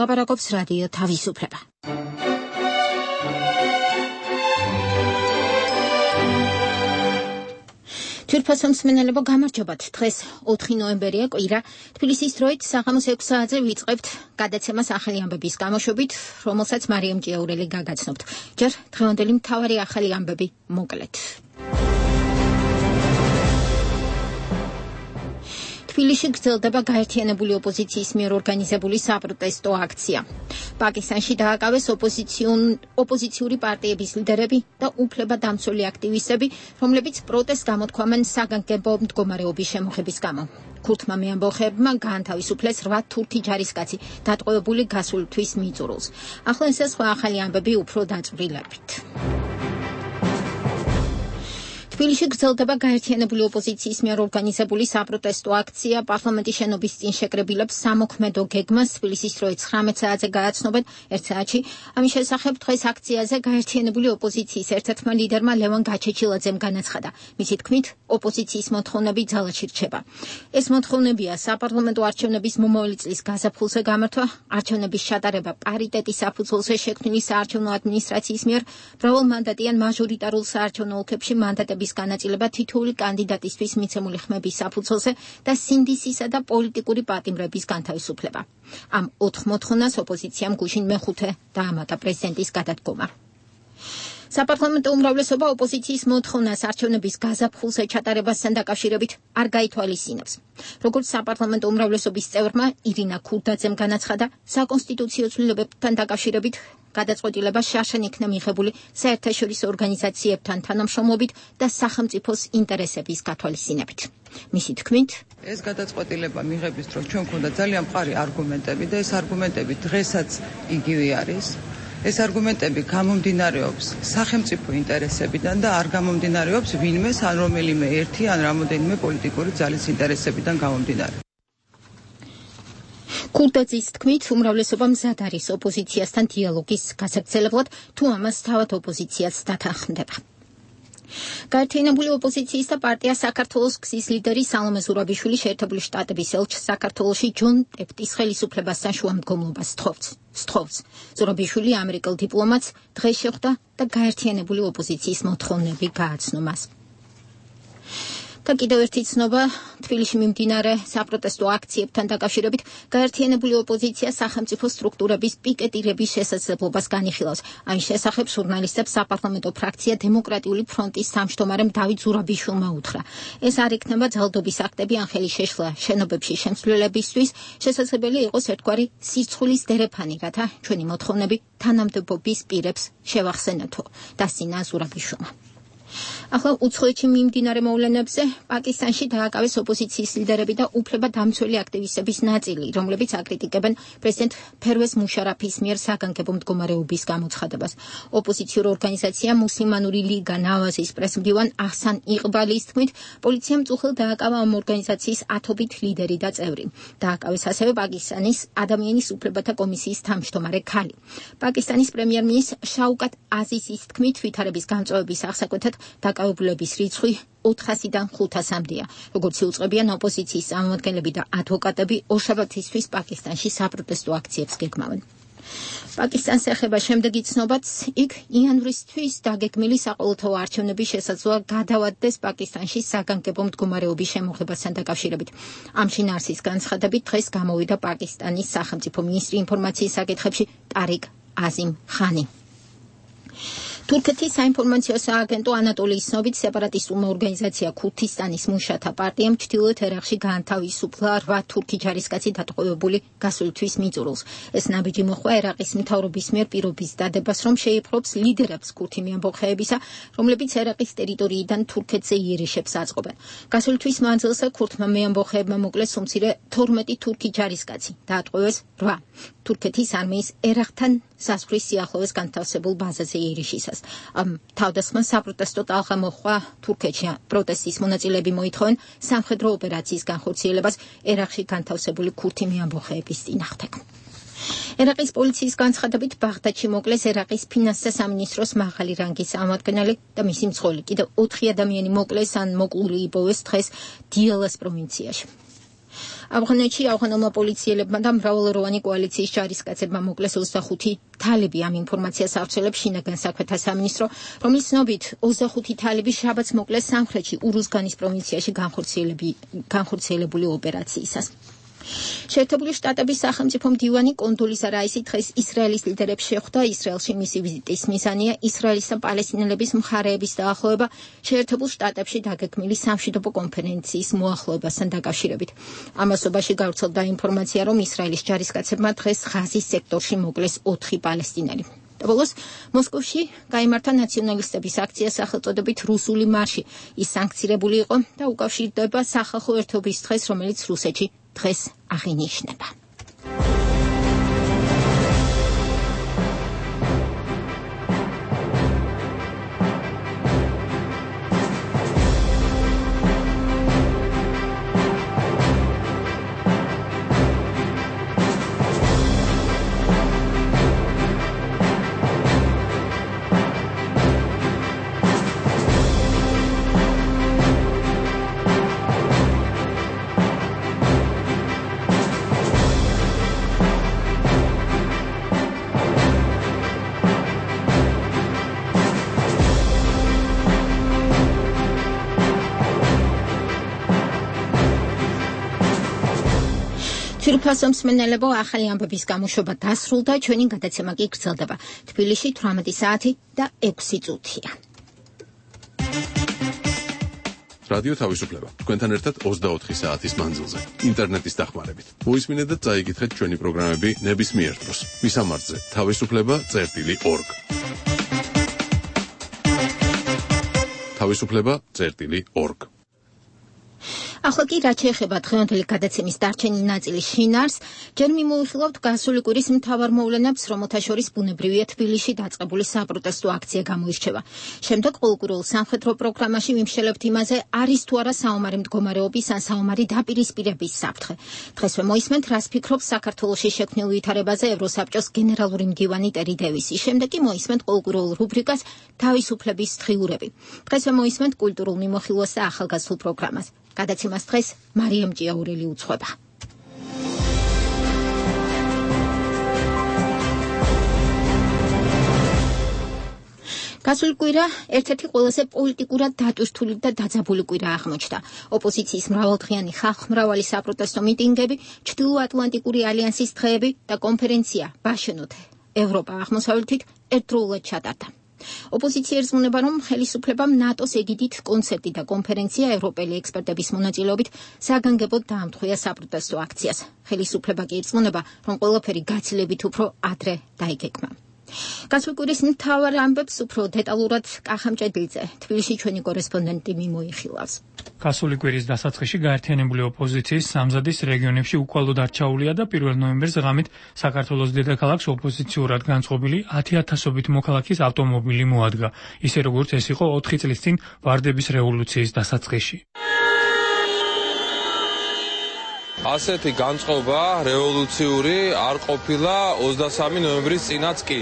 ლაპარაკობს რადიო თავისუფლება. თვითფასო მსმენელებო, გამარჯობათ. დღეს 4 ნოემბერია, კვირა. თბილისის დროით საღამოს 6 საათზე ვიწყებთ გადაცემას ახალი ამბების გამოშვებით, რომელსაც მარიამ ჭიაურელი გაგაცნობთ. ჯერ დღევანდელი მთავარი ახალი ამბები მოკლედ. თბილისში გრძელდება გაერთიანებული ოპოზიციის მიერ ორგანიზებული საპროტესტო აქცია. პაკისტანში დააკავეს ოპოზიციური პარტიების ლიდერები და უფლებადამცველი აქტივისტები, რომლებიც პროტესტს გამოთქვამენ საგანგებო მდგომარეობის შემოღების გამო. ქურთმა მეამბოხეებმა გაანთავისუფლეს 8 თურქი ჯარისკაცი, დატყვევებული გასული თვის მიწურულს. ახლა ეს სხვა ახალი ამბები უფრო დაწვრილებით. თბილისში გრძელდება გაერთიანებული ოპოზიციის მიერ ორგანიზებული საპროტესტო აქცია. პარლამენტის შენობის წინ შეკრებილებს სამოქმედო გეგმას თბილისის დროით 19 საათზე გააცნობენ 1 საათში. ამის შესახებ დღეს აქციაზე გაერთიანებული ოპოზიციის ერთ-ერთმა ლიდერმა ლევან გაჩეჩილაძემ განაცხადა. მისი თქმით, ოპოზიციის მოთხოვნები ძალაში რჩება. ეს მოთხოვნებია საპარლამენტო არჩევნების მომავალი წლის გაზაფხულზე გამართვა, არჩევნების ჩატარება პარიტეტის საფუძველზე შექმნილი საარჩევნო ადმინისტრაციის მიერ, მრავალმანდატიან მაჟორიტარულ საარჩევნო ოლქებში მანდატების განაწილება თითოეული კანდიდატისთვის მიცემული ხმების საფუძველზე და სინდისისა და პოლიტიკური პატიმრების განთავისუფლება. ამ 4 მოთხოვნას ოპოზიციამ გუშინ მეხუთე დაამატა პრეზიდენტის გადადგომა. საპარლამენტო უმრავლესობა ოპოზიციის მოთხოვნას არჩევნების გაზაფხულზე ჩატარებასთან დაკავშირებით არ გაითვალისწინებს. როგორც საპარლამენტო უმრავლესობის წევრმა ირინა ქურდაძემ განაცხადა, საკონსტიტუციო ცვლილებებთან დაკავშირებით გადაწყვეტილება შარშან იქნა მიღებული საერთაშორისო ორგანიზაციებთან თანამშრომლობით და სახელმწიფოს ინტერესების გათვალისწინებით. მისი თქმით, ეს გადაწყვეტილება მიღების დროს ჩვენ გვქონდა ძალიან მყარი არგუმენტები და ეს არგუმენტები დღესაც იგივე არის. ეს არგუმენტები გამომდინარეობს სახელმწიფო ინტერესებიდან და არ გამომდინარეობს ვინმეს ან რომელიმე ერთი ან რამოდენიმე პოლიტიკური ძალის ინტერესებიდან გამომდინარე. ქურდაძის თქმით, უმრავლესობა მზად არის ოპოზიციასთან დიალოგის გასაგრძელებლად, თუ ამას თავად ოპოზიციაც დათანხმდება. გაერთიანებული ოპოზიციის და პარტია საქართველოს გზის ლიდერი სალომე ზურაბიშვილი შეერთებული შტატების ელჩს საქართველოში ჯონ ტეფტის ხელისუფლებასთან შუამდგომლობას სთხოვს. ზურაბიშვილი ამერიკელ დიპლომატს დღეს შეხვდა და გაერთიანებული ოპოზიციის მოთხოვნები გააცნო მას. და კიდევ ერთი ცნობა, თბილისში მიმდინარე საპროტესტო აქციებთან დაკავშირებით გაერთიანებული ოპოზიცია სახელმწიფო სტრუქტურების პიკეტირების შესაძლებლობას განიხილავს. ამის შესახებ ჟურნალისტებს საპარლამენტო ფრაქცია დემოკრატიული ფრონტის თავმჯდომარემ დავით ზურაბიშვილმა უთხრა. ეს არ იქნება ძალადობის აქტები ან ხელის შეშლა შენობებში შემცვლილებისთვის, შესაძლებელი იყოს ერთგვარი სირცხვილის დერეფანი, რათა ჩვენი მოთხოვნები თანამდებობის პირებს შევახსენეთო, დასცინა ზურაბიშვილმა. ახლა უცხოეთში მიმდინარე მოვლენებზე პაკისტანში დააკავეს ოპოზიციის ლიდერები და უფლებადამცველი აქტივისტების ნაწილი, რომლებიც აკრიტიკებენ პრეზიდენტ ფერვეზ მუშარაფის მიერ საგანგებო მდგომარეობის გამოცხადებას. ოპოზიციურ ორგანიზაცია მუსლიმანური ლიგა ნავაზის პრესმდივან აჰსან იყბალის თქმით, პოლიციამ წუხელ დააკავა ამ ორგანიზაციის 10-ობით ლიდერი და წევრი. დააკავეს ასევე პაკისტანის ადამიანის უფლებათა კომისიის თავმჯდომარე ქალი. პაკისტანის პრემიერ-მინისტრ შაუკატ აზიზის თქმით, ვითარების გამწვავების აღსაკვეთად დაკავებულების რიცხვი 400-დან 500-მდეა. როგორც იუწყებიან ოპოზიციის წარმომადგენლები და ადვოკატები, ორშაბათისთვის პაკისტანში საპროტესტო აქციებს გეგმავენ. პაკისტანს ეხება შემდეგი ცნობაც, იქ იანვრისთვის დაგეგმილი საყოველთაო არჩევნების შესაძლოა გადავადდეს პაკისტანში საგანგებო მდგომარეობის შემოღებასთან დაკავშირებით. ამ შინაარსის განცხადებით დღეს გამოვიდა პაკისტანის სახელმწიფო მინისტრი ინფორმაციის საკითხებში ტარიკ აზიმ ხანი. თურქეთის საინფორმაციო სააგენტო ანატოლიის ცნობით სეპარატისტულმა ორგანიზაცია ქურთისტანის მუშათა პარტიამ ჩრდილოეთ ერაყში გაანთავისუფლა 8 თურქი ჯარისკაცი დატყვევებული გასული თვის მიწურულს. ეს ნაბიჯი მოჰყვა ერაყის მთავრობის მიერ პირობის დადებას, რომ შეიპყრობს ლიდერებს ქურთი მეამბოხეებისა, რომლებიც ერაყის ტერიტორიიდან თურქეთზე იერიშებს აწყობენ. გასული თვის მანძილზე ქურთმა მეამბოხეებმა მოკლეს უმცირე 12 თურქი ჯარისკაცი, დაატყვევეს 8 თურქეთის არმიის ერაყთან საზღვრის სიახლოვეს განთავსებულ ბაზაზე იერიშისას. თავდასხმა საპროტესტო ტალღა მოჰყვა თურქეთში. პროტესტის მონაწილეები მოითხოვენ სამხედრო ოპერაციის განხორციელებას ერაყში განთავსებული ქურთი მეამბოხეების წინააღმდეგ. ერაყის პოლიციის განცხადებით ბაღდადში მოკლეს ერაყის ფინანსთა სამინისტროს მაღალი რანგის წარმომადგენელი და მისი მცხოველი. კიდევ 4 ადამიანი მოკლეს ან მოკლული იპოვეს დღეს დიალას პროვინციაში. ავღანეთში ავღანელმა პოლიციელებმა და მრავალეროვანი კოალიციის ჯარისკაცებმა მოკლეს 25 თალიბი. ამ ინფორმაციას ავრცელებს შინაგან საქმეთა სამინისტრო, რომლის ცნობით 25 თალიბი შაბათს მოკლეს სამხრეთში ურუზგანის პროვინციაში განხორციელებული ოპერაციისას. შეერთებული შტატების სახელმწიფო მდივანი კონდოლიზა რაისი დღეს ისრაელის ლიდერებს შეხვდა. ისრაელში მისი ვიზიტის მიზანია ისრაელის და პალესტინელების მხარეების დაახლოება შეერთებულ შტატებში დაგეგმილი სამშვიდობო კონფერენციის მოახლოებასთან დაკავშირებით. ამასობაში გავრცელდა ინფორმაცია, რომ ისრაელის ჯარისკაცებმა დღეს ღაზის სექტორში მოკლეს 4 პალესტინელი. ბოლოს მოსკოვში გაიმართა ნაციონალისტების აქცია სახელწოდებით რუსული მარში. ის სანქცირებული იყო და უკავშირდება სახალხო ერთობის დღეს, რომელიც რუსეთში დღეს აღინიშნება. თბილისის მსმენელებო, ახალი ამბების გამოშვება დასრულდა, ჩვენი გადაცემა კი გრძელდება. თბილისში 18 საათი და 6 წუთია. რადიო თავისუფლება. თქვენთან ერთად 24 საათის მანძილზე, ინტერნეტის დახმარებით. მოისმინეთ და წაიკითხეთ ჩვენი პროგრამები ნებისმიერ დროს. მისამართზე თავისუფლება.org. თავისუფლება.org. ახლა კი რაც შეეხება დღევანდელი გადაცემის დარჩენილ ნაწილის შინაარს, ჯერ მიმოიხილავთ გასული კვირის მთავარ მოვლენებს, რომელთა შორის ბუნებრივია თბილისში დაწყებული საპროტესტო აქცია გამოირჩევა. შემდეგ ყოველკვირეულ სამხედრო პროგრამაში ვიმშელებთ იმაზე, არის თუ არა საომარი მდგომარეობის ან საომარი დაპირისპირების საფრთხე. დღესვე მოისმენთ, რას ფიქრობს საქართველოში შექმნილ ვითარებაზე ევროსაბჭოს გენერალური მდივანი ტერი დევისი. შემდეგ კი მოისმენთ ყოველკვირეულ რუბრიკას თავისუფლების დღიურები. დღესვე მოისმენთ კულტურულ მიმოხილვას და ახალგაზრდულ პროგრამას. გადაცემას დღეს მარიამ ჭიაურელი უძღვება. გასული კვირა ერთ-ერთი ყველაზე პოლიტიკურად დატვირთული და დაძაბული კვირა აღმოჩნდა. ოპოზიციის მრავალდღიანი ხალხმრავალი საპროტესტო მიტინგები, ჩრდილოატლანტიკური ალიანსის დღეები და კონფერენცია ბაშენოთ ევროპა აღმოსავლეთით ერთდროულად ჩატარდა. ოპოზიცია ერზმუნება, რომ ხელისუფლებამ ნატოს ეგიდით კონცერტი და კონფერენცია ევროპელი ექსპერტების მონაწილეობით საგანგებოდ დაამტყვია საპროტესტო აქციას. ხელისუფლება კი ერზმუნება, რომ ყველაფერი გაცილებით უფრო ადრე დაიგეგმა. გასული კვირის მთავარ ამბებს უფრო დეტალურად კახა მჭედლიძე, თბილისში ჩვენი კორესპონდენტი მიმოიხილავს. გასული კვირის დასაწყისში გაერთიანებული ოპოზიციის სამზადის რეგიონებში უკვალოდ არ ჩაულია და 1 ნოემბერს ღამით საქართველოს დედაქალაქს ოპოზიციურად განწყობილი 10,000-ობით მოქალაქის ავტომობილი მოადგა, ისე როგორც ეს იყო 4 წლის წინ ვარდების რევოლუციის დასაწყისში. ასეთი განწყობა რევოლუციური არ ყოფილა 23 ნოემბრის წინაც კი.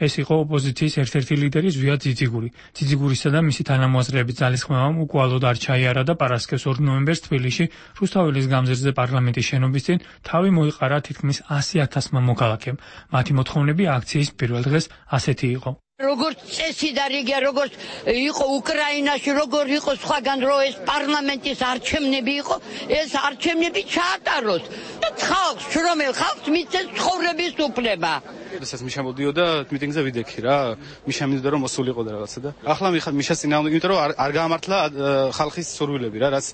ეს იყო ოპოზიციის ერთ-ერთი ლიდერი ზვიად ძიძიგური. ძიძიგურისა და მისი თანამოაზრეების ძალისხმევამ უკვალოდ არ ჩაიარა და პარასკევს 2 ნოემბერს თბილისში რუსთაველის გამზირზე პარლამენტის შენობის წინ თავი მოიყარა თითქმის 100,000-მა მოქალაქემ. მათი მოთხოვნები აქციის პირველ დღეს ასეთი იყო. როგორც წესი და რიგია, როგორც იყო უკრაინაში, როგორ იყო სხვაგან, რომ ეს პარლამენტის არჩევნები იყო, ეს არჩევნები ჩაატაროს და ხალხს, შრომელ ხალხს მისცეს ცხოვრების უფლება. შესაძ მიშა მოდიოდა მიტინგზე ვიდექი რა, მიშა მინდოდა რომ მოსულიყო და რაღაცა და ახლა მიშა წინააღმდეგ, იმიტომ რომ არ გაამართლა ხალხის სურვილები რა, რაც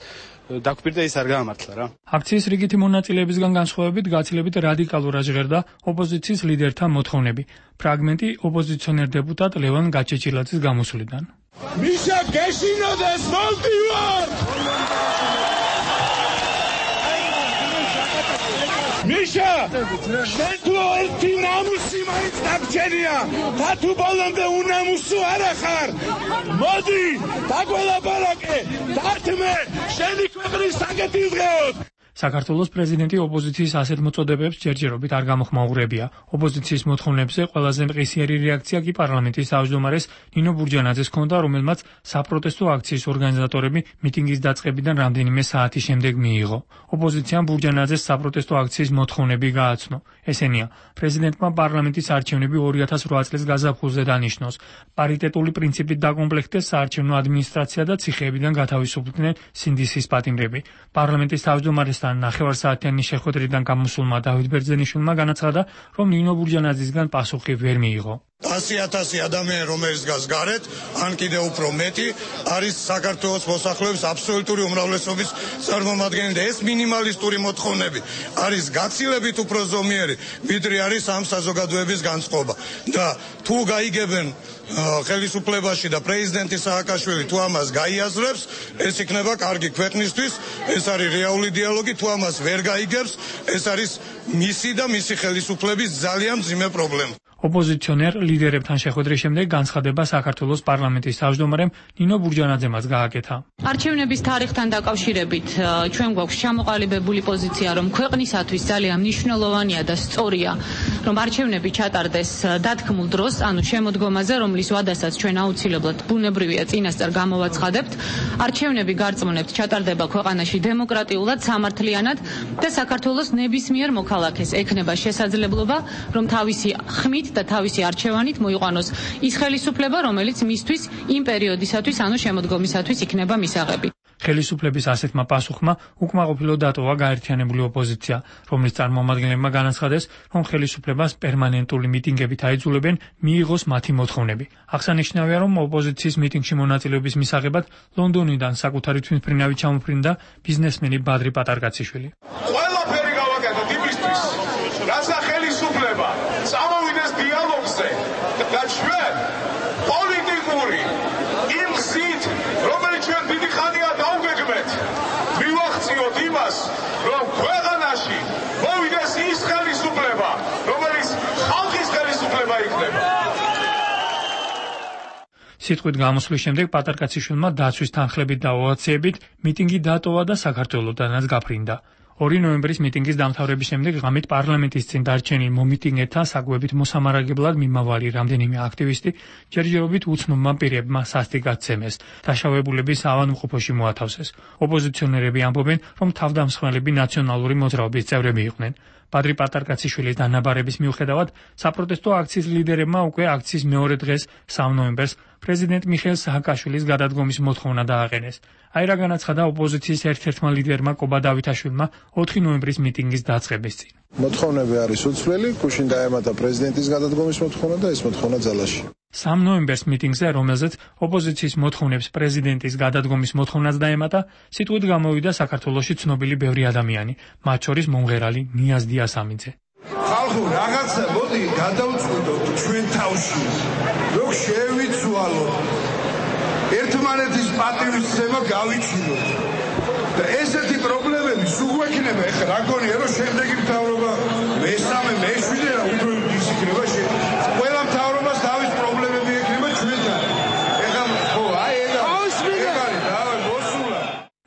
დაგვირდა ის არ გაამართლა რა. აქციის რიგითი მონაწილეებისგან განსხვავებით გაცილებით რადიკალურად ჟღერდა ოპოზიციის ლიდერთა მოთხოვნები. ფრაგმენტი ოპოზიციონერ დეპუტატ ლევან გაჩეჩილაძის გამოსვლიდან. მიშა გეშინოდეს მოვდივარ! მიშა, შენ თუ ერთი ნამუსი მაინც დაგჭერია, და თუ ბოლომდე უნამუსო არა ხარ. მოდი, დაგველაპარაკე, დათმე, შენი ქვეყნის საკეთილდღეოდ. საქართველოს პრეზიდენტი ოპოზიციის ასეთ მოწოდებებს ჯერჯერობით არ გამოხმაურებია. ოპოზიციის მოთხოვნებზე ყველაზე მყისიერი რეაქცია კი პარლამენტის თავმჯდომარეს ნინო ბურჯანაძეს ჰქონდა, რომელმაც საპროტესტო აქციის ორგანიზატორები მიტინგის დაწყებიდან რამდენიმე საათის შემდეგ მიიღო. ოპოზიციამ ბურჯანაძეს საპროტესტო აქციის მოთხოვნები გააცნო. ესენია: პრეზიდენტმა პარლამენტის არჩევნები 2008 წლის გაზაფხულზე დანიშნოს, პარიტეტული პრინციპით დაკომპლექტდეს საარჩევნო ადმინისტრაცია და ციხეებიდან გათავისუფლდნენ სინდისის პატიმრები. პარლამენტის თავმჯდომარესთან ნახევარსაათიანი შეხვედრიდან გამოსულმა დავით ბერძენიშვილმა განაცხადა, რომ ნინო ბურჯანაძისგან პასუხი ვერ მიიღო. 100,000 ადამიანი, რომელიც დგას გარეთ, ან კიდევ უფრო მეტი, არის საქართველოს მოსახლეობის აბსოლუტური უმრავლესობის წარმომადგენელი და ეს მინიმალისტური მოთხოვნები არის გაცილებით უფრო ზომიერი, ვიდრე არის ამ საზოგადოების განწყობა. და თუ გაიგებენ ხელისუფლებაში და პრეზიდენტი სააკაშვილი თუ ამას გაიაზრებს, ეს იქნება კარგი ქვეყნისთვის, ეს არის რეალური დიალოგი, თუ ამას ვერ გაიგებს, ეს არის მისი და მისი ხელისუფლების ძალიან მძიმე პრობლემა. ოპოზიციონერ ლიდერებთან შეხვედრის შემდეგ განცხადება საქართველოს პარლამენტის თავმჯდომარემ ნინო ბურჯანაძემაც გააკეთა. არჩევნების თარიღთან დაკავშირებით ჩვენ გვაქვს ჩამოყალიბებული პოზიცია, რომ ქვეყნისათვის ძალიან მნიშვნელოვანია და სწორია, რომ არჩევნები ჩატარდეს დათქმულ დროს, ანუ შემოდგომაზე, რომლის ვადასაც ჩვენ აუცილებლად ბუნებრივია წინასწარ გამოვაცხადებთ. არჩევნები გარწმუნებთ ჩატარდება ქვეყანაში დემოკრატიულად, სამართლიანად და საქართველოს ნებისმიერ მოქალაქეს ექნება შესაძლებლობა, რომ თავისი ხმით და თავისი არჩევანით მოიყვანოს ის ხელისუფლება, რომელიც მისთვის იმ პერიოდისათვის, ანუ შემოდგომისათვის იქნება მისაღები. ხელისუფლების ასეთმა პასუხმა უკმაყოფილო დატოვა გაერთიანებული ოპოზიცია, რომლის წარმომადგენლებმა განაცხადეს, რომ ხელისუფლებას პერმანენტული მიტინგებით აიძულებენ მიიღოს მათი მოთხოვნები. აღსანიშნავია, რომ ოპოზიციის მიტინგში მონაწილეობის მისაღებად ლონდონიდან საკუთარი თვითმფრინავით ჩამოფრინდა ბიზნესმენი ბადრი პატარკაციშვილი. ყველაფერი გავაკეთოთ იმისთვის, რაცა ხელისუფლება წამოვიდეს დიალოგზე და ჩვენ პოლიტიკური იმ გზით, რომელიც ჩვენ დიდი ხანია დაუგეგმეთ, მივახციოთ იმას, რომ ქვეყანაში მოვიდეს ის ხელისუფლება, რომელიც ხალხის ხელისუფლება იქნება. სიტყვით გამოსვლის შემდეგ პატარკაციშვილმა დაცვის თანხლებით და ოვაციებით მიტინგი დატოვა და საქართველოდანაც გაფრინდა. 2 ნოემბრის მიტინგის დამთავრების შემდეგ ღამით პარლამენტის წინ დარჩენილ მომიტინგეთა საკვებით მოსამარაგებლად მიმავალი რამდენიმე აქტივისტი ჯერჯერობით უცნობმა პირებმა სასტიკად ცემეს, დაშავებულების ავადმყოფოში მოათავსეს. ოპოზიციონერები ამბობენ, რომ თავდამსხმელები ნაციონალური მოძრაობის წევრები იყვნენ. ბადრი პატარკაციშვილის დანაბარების მიუხედავად, საპროტესტო აქციის ლიდერებმა უკვე აქციის მეორე დღეს 3 ნოემბერს პრეზიდენტ მიხეილ სააკაშვილის გადადგომის მოთხოვნა დააყენეს. აი რა განაცხადა ოპოზიციის ერთ-ერთმა ლიდერმა კობა დავითაშვილმა 4 ნოემბრის მიტინგის დაწყების წინ. მოთხოვნები არის უცვლელი, გუშინ დაემატა პრეზიდენტის გადადგომის მოთხოვნა და ეს მოთხოვნა ძალაში. 3 ნოემბერს მიტინგზე, რომელზეც ოპოზიციის მოთხოვნებს პრეზიდენტის გადადგომის მოთხოვნაც დაემატა, სიტყვით გამოვიდა საქართველოში ცნობილი ბევრი ადამიანი, მათ შორის მომღერალი ნიაზ დიასამიძე. ხალხო, რაღაცა მოდი გადავწყვიტოთ ჩვენ თავში, რომ შევიცვალოთ ერთმანეთის პატივისცემა გავიჩინოთ. და ესეთი პრობლემები სულ გვექნება, ეხლა რა გონია, რომ შემდეგი მთავრობა მესამე, მეშვიდე რა უფრო ის იქნება ყველა მთავრობას თავის პრობლემები ექნება ჩვენთან. ეხლა ხო, აი ეგ არის და მოსულა.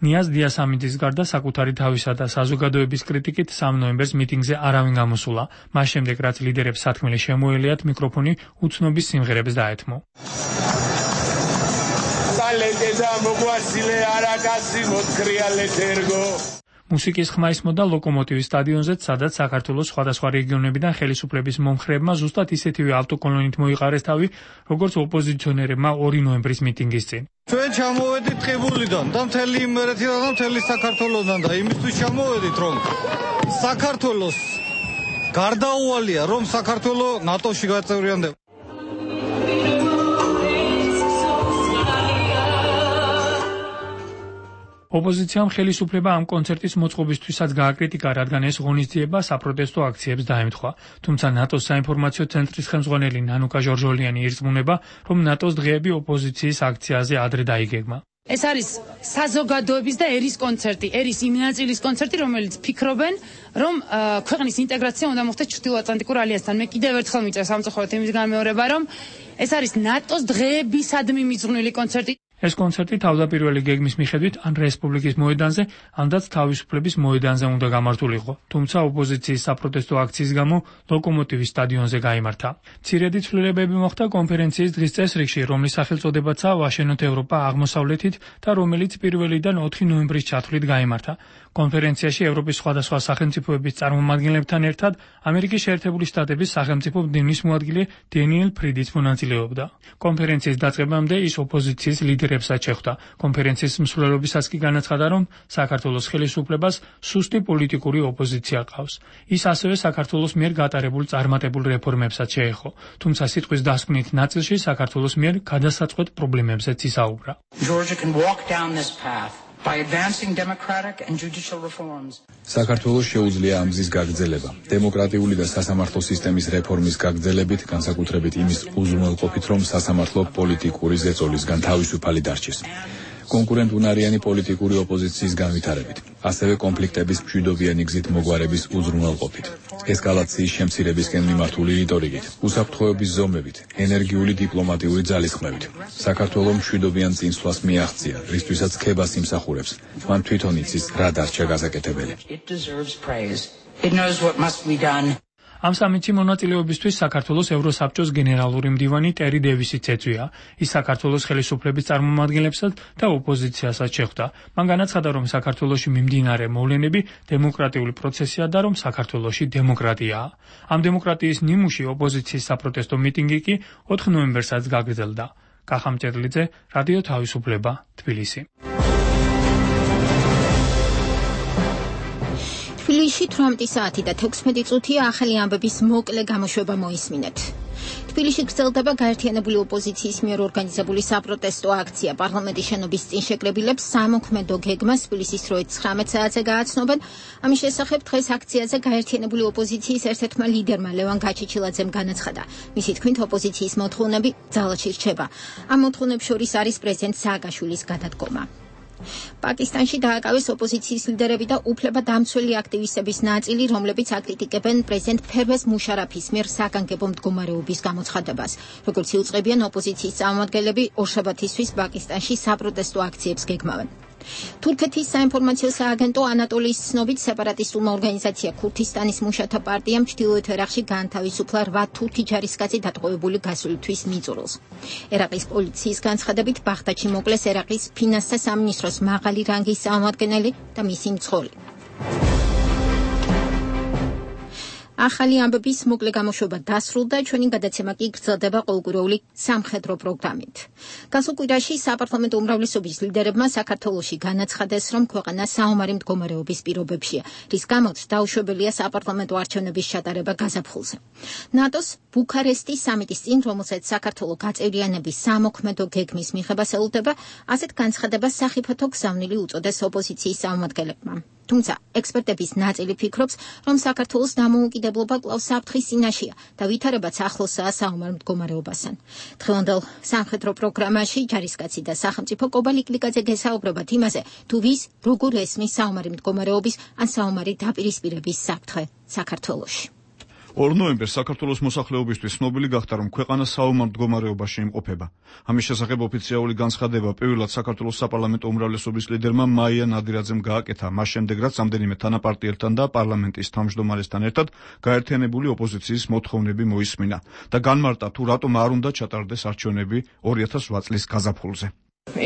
ნიაზ დიასამიძის გარდა საკუთარი თავისა და საზოგადოების კრიტიკით 3 ნოემბერს მიტინგზე არავინ გამოსულა. მას შემდეგ, რაც ლიდერებს სათქმელი შემოელიათ, მიკროფონი უცნობის სიმღერებს დაეთმო. მუსიკის ხმა ისმოდა ლოკომოტივის სტადიონზე, სადაც საქართველოს სხვადასხვა რეგიონებიდან ხელისუფლების მომხრეებმა ზუსტად ისეთივე ავტოკოლონით მოიყარეს თავი, როგორც ოპოზიციონერებმა 2 ნოემბრის მიტინგის წინ. ჩვენ ჩამოვედით ყიბულიდან და მთელი იმერეთიდან და მთელი საქართველოსთან და იმისთვის ჩამოვედით, რომ საქართველოს გარდაუვალია, რომ საქართველო ნატოში გაწევრიანდება. ოპოზიციამ ხელისუფლება ამ კონცერტის მოწყობისთვისაც გააკრიტიკა, რადგან ეს ღონისძიება საპროტესტო აქციებს დაემთხვა. თუმცა ნატოს საინფორმაციო ცენტრის ხელმძღვანელი ნანუკა ჟორჟოლიანი ირწმუნება, რომ ნატოს დღეები ოპოზიციის აქციაზე ადრე დაიგეგმა. ეს არის საზოგადოების და ერის კონცერტი, ერის იმ ნაწილის კონცერტი, რომელიც ფიქრობენ, რომ ქვეყნის ინტეგრაცია უნდა მოხდეს ჩრდილოატლანტიკურ ალიანსთან. მე კიდევ ერთხელ მიწევს სამწუხაროდ იმის განმეორება, რომ ეს არის ნატოს დღეებისადმი მიძღვნილი კონცერტი. ეს კონცერტი თავდაპირველი გეგმის მიხედვით ან რესპუბლიკის მოედანზე, ანდაც თავისუფლების მოედანზე უნდა გამართულიყო, თუმცა ოპოზიციის საპროტესტო აქციის გამო ლოკომოტივის სტადიონზე გაიმართა. მცირედი ცვლილებები მოხდა კონფერენციის დღის წესრიგში, რომლის სახელწოდებაცაა ვაშენოთ ევროპა აღმოსავლეთით და რომელიც 1-დან 4 ნოემბრის ჩათვლით გაიმართა. კონფერენციაში ევროპის სხვადასხვა სახელმწიფოების წარმომადგენლებთან ერთად ამერიკის შეერთებული შტატების სახელმწიფო მდივნის მოადგილე დენიელ ფრიდიც მონაწილეობდა. კონფერენციის დაწყებამდე ის ოპოზიციის ლიდერებსაც შეხვდა. კონფერენციის მსვლელობისას კი განაცხადა, რომ საქართველოს ხელისუფლებას სუსტი პოლიტიკური ოპოზიცია ყავს. ის ასევე საქართველოს მიერ გატარებულ წარმატებულ რეფორმებსაც შეეხო, თუმცა სიტყვის დასკვნით ნაწილში საქართველოს მიერ გადასაწყვეტ პრობლემებზეც ისაუბრა. საქართველოს შეუძლია ამ გზის გაგრძელება. დემოკრატიული და სასამართლო სისტემის რეფორმის გაგრძელებით, განსაკუთრებით იმის უზრუნველყოფით, რომ სასამართლო პოლიტიკური ზეწოლისგან თავისუფალი დარჩეს. კონკურენტუნარიანი პოლიტიკური ოპოზიციის განვითარებით, ასევე კონფლიქტების მშვიდობიანი გზით მოგვარების უზრუნველყოფით, ესკალაციის შემცირებისკენ მიმართული რიტორიკით, უსაფრთხოების ზომებით, ენერგიული დიპლომატიური ძალისხმევით. საქართველოს მშვიდობიან წინსვლას მიაღწია, რისთვისაც ქებას იმსახურებს. მან თვითონ იცის რა დარჩა გასაკეთებელი. ამ სამიტში მონაწილეობისთვის საქართველოს ევროსაბჭოს გენერალური მდივანი ტერი დევისიც ეწვია. ის საქართველოს ხელისუფლების წარმომადგენლებსაც და ოპოზიციასაც შეხვდა. მან განაცხადა, რომ საქართველოში მიმდინარე მოვლენები დემოკრატიული პროცესია და რომ საქართველოში დემოკრატიაა. ამ დემოკრატიის ნიმუში ოპოზიციის საპროტესტო მიტინგი კი 4 ნოემბერსაც გაგრძელდა. კახა მჭედლიძე, რადიო თავისუფლება, თბილისი. თბილისში 18 საათი და 16 წუთია ახალი ამბების მოკლე გამოშვება მოისმინეთ. თბილისში გრძელდება გაერთიანებული ოპოზიციის მიერ ორგანიზებული საპროტესტო აქცია. პარლამენტის შენობის წინ შეკრებილებს სამოქმედო გეგმას თბილისის დროით 19 საათზე გააცნობენ. ამის შესახებ დღეს აქციაზე გაერთიანებული ოპოზიციის ერთ-ერთმა ლიდერმა ლევან გაჩიჩილაძემ განაცხადა. მისი თქმით, ოპოზიციის მოთხოვნები ძალაში რჩება. ამ მოთხოვნებს შორის არის პრეზიდენტ სააკაშვილის გადადგომა. პაკისტანში დააკავეს ოპოზიციის ლიდერები და უფლებადამცველი აქტივისტების ნაწილი, რომლებიც აკრიტიკებენ პრეზიდენტ ფერვეზ მუშარაფის მიერ საგანგებო მდგომარეობის გამოცხადებას. როგორც იუწყებიან, ოპოზიციის წარმომადგენლები ორშაბათისთვის პაკისტანში საპროტესტო აქციებს გეგმავენ. თურქეთის საინფორმაციო სააგენტო ანატოლიის ცნობით სეპარატისტულმა ორგანიზაცია ქურთისტანის მუშათა პარტიამ ჩრდილოეთ ერაყში გაანთავისუფლა 8 თურქი ჯარისკაცი დატყვევებული გასული თვის მიწურულს. ერაყის პოლიციის განცხადებით ბაღდადში მოკლეს ერაყის ფინანსთა სამინისტროს მაღალი რანგის წარმომადგენელი და მისი მძღოლი. ახალი ამბების მოკლე გამოშვება დასრულდა, ჩვენი გადაცემა კი გრძელდება ყოველკვირეული სამხედრო პროგრამით. გასულ კვირაში საპარლამენტო უმრავლესობის ლიდერებმა საქართველოში განაცხადეს, რომ ქვეყანა საომარი მდგომარეობის პირობებშია, რის გამოც დაუშვებელია საპარლამენტო არჩევნების ჩატარება გაზაფხულზე. ნატოს ბუქარესტის სამიტის წინ, რომელსაც საქართველო გაწევრიანების სამოქმედო გეგმის მიღებას ელოდება, ასეთ განცხადებას სახიფათო გზავნილი უწოდეს ოპოზიციის წარმომადგენლებმა. თუმცა ექსპერტების ნაწილი ფიქრობს, რომ საქართველოს დამოუკიდებლობა კვლავ საფრთხის წინაშეა და ვითარებაც ახლოსაა საომარ მდგომარეობასთან. დღევანდელ სამხედრო პროგრამაში ჯარისკაცი და სახელმწიფო კობალი კლიკაძე გესაუბრებათ იმაზე, თუ ვის როგორ ესმის საომარი მდგომარეობის ან საომარი დაპირისპირების საფრთხე საქართველოში. 2 ნოემბერს საქართველოს მოსახლეობისთვის ცნობილი გახდა, რომ ქვეყანა საომარ მდგომარეობაში იმყოფება. ამის შესახებ ოფიციალური განცხადება პირველად საქართველოს საპარლამენტო უმრავლესობის ლიდერმა მაია ნადირაძემ გააკეთა, მას შემდეგ რაც რამდენიმე თანაპარტიელთან და პარლამენტის თავმჯდომარესთან ერთად გაერთიანებული ოპოზიციის მოთხოვნები მოისმინა და განმარტა, თუ რატომ არ უნდა ჩატარდეს არჩევნები 2008 წლის გაზაფხულზე.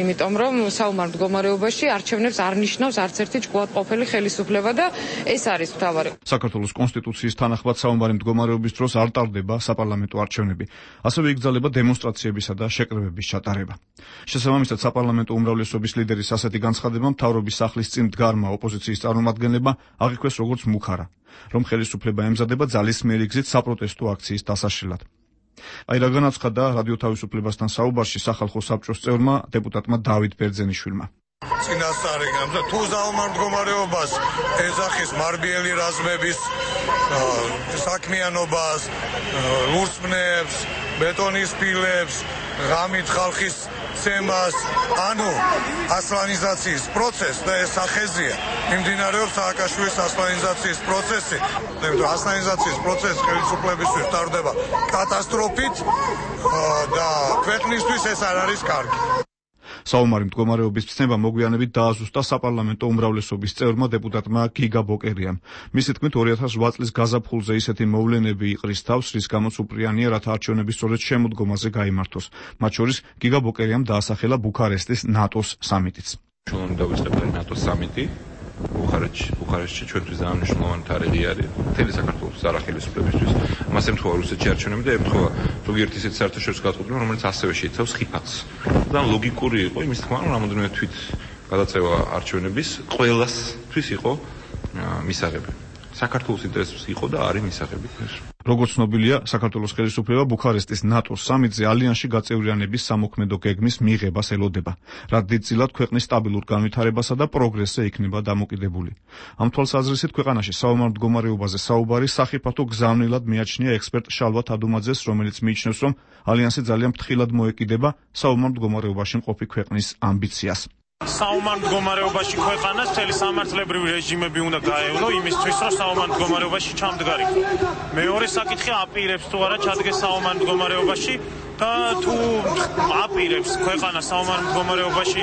იმიტომ რომ საომარ მდგომარეობაში არჩევნებს არ ნიშნავს არც ერთი ჭკუატყოფელი ხელისუფლება და ეს არის მთავარი. საქართველოს კონსტიტუციის თანახმად საომარი მდგომარეობის დროს არ ტარდება საპარლამენტო არჩევნები. ასევე იგრძელება დემონსტრაციებისა და შეკრებების ჩატარება. შესაბამისად, საპარლამენტო უმრავლესობის ლიდერის ასეთი განცხადება მთავრობის სახლის წინ მდგარმა ოპოზიციის წარმომადგენლებმა აღიქვეს როგორც მუხარა, რომ ხელისუფლება ემზადება ძალისმიერი გზით საპროტესტო აქციის დასაშლელად. აი რა განაცხადა რადიო თავისუფლებასთან საუბარში სახალხო საბჭოს წევრმა დეპუტატმა დავით ბერძენიშვილმა. წინასწარი და თუ საომარ მდგომარეობას ეძახის მარბიელი რაზმების საქმიანობას, ურსმნებს, ბეტონის ფილებს, ღამით ხალხის ცემას, ანუ ასლანიზაციის პროცესს და ეს სახეზია. მიმდინარეობს სააკაშვილის ასლანიზაციის პროცესი. ასლანიზაციის პროცესი ხელისუფლებისთვის ტარდება კატასტროფით და ქვეყნისთვის ეს არ არის კარგი. საომარი მდგომარეობის ცნება მოგვიანებით დააზუსტა საპარლამენტო უმრავლესობის წევრმა დეპუტატმა გიგა ბოკერიამ. მისი თქმით 2008 წლის გაზაფხულზე ისეთი მოვლენები იყრის თავს, რის გამოც უპრიანია, რათა არჩევნები სწორედ შემოდგომაზე გაიმართოს. მათ შორის გიგა ბოკერიამ დაასახელა ბუქარესტის ნატოს სამიტიც. ჩვენ დავიწყებთ ნატოს სამიტი ბუქარესტში ჩვენთვის ძალიან მნიშვნელოვანი თარიღი არის მთელი საქართველოს არახელისუფლებისთვის. მას ემთხვევა რუსეთში არჩევნები და ემთხვევა ზოგიერთი ისეთი საერთაშორისო გადაწყვეტილება, რომელიც ასევე შეიცავს ხიფათს. და ლოგიკური იყო იმის თქმა, რომ რამოდენიმე თვით გადაწევა არჩევნების ყველასთვის იყო მისაღები. საქართველოს ინტერესებს იყო და არის მისაღები. როგორც ცნობილია, საქართველოს ხელისუფლება ბუქარესტის ნატოს სამიტზე ალიანსში გაწევრიანების სამოქმედო გეგმის მიღებას ელოდება, რაც დიდწილად ქვეყნის სტაბილურ განვითარებასა და პროგრესზე იქნება დამოკიდებული. ამ თვალსაზრისით ქვეყანაში საომარ მდგომარეობაზე საუბარი სახიფათო გზავნილად მიაჩნია ექსპერტ შალვა თადუმაძეს, რომელიც მიიჩნევს, რომ ალიანსი ძალიან ფრთხილად მოეკიდება საომარ მდგომარეობაში მყოფი ქვეყნის ამბიციას. საომარ მდგომარეობაში ქვეყანას მთელი სამართლებრივი რეჟიმები უნდა გაევლო იმისთვის, რომ საომარ მდგომარეობაში ჩამდგარიყო. მეორე საკითხი აპირებს თუ არა ჩადგეს საომარ მდგომარეობაში და თუ აპირებს ქვეყანა საომარ მდგომარეობაში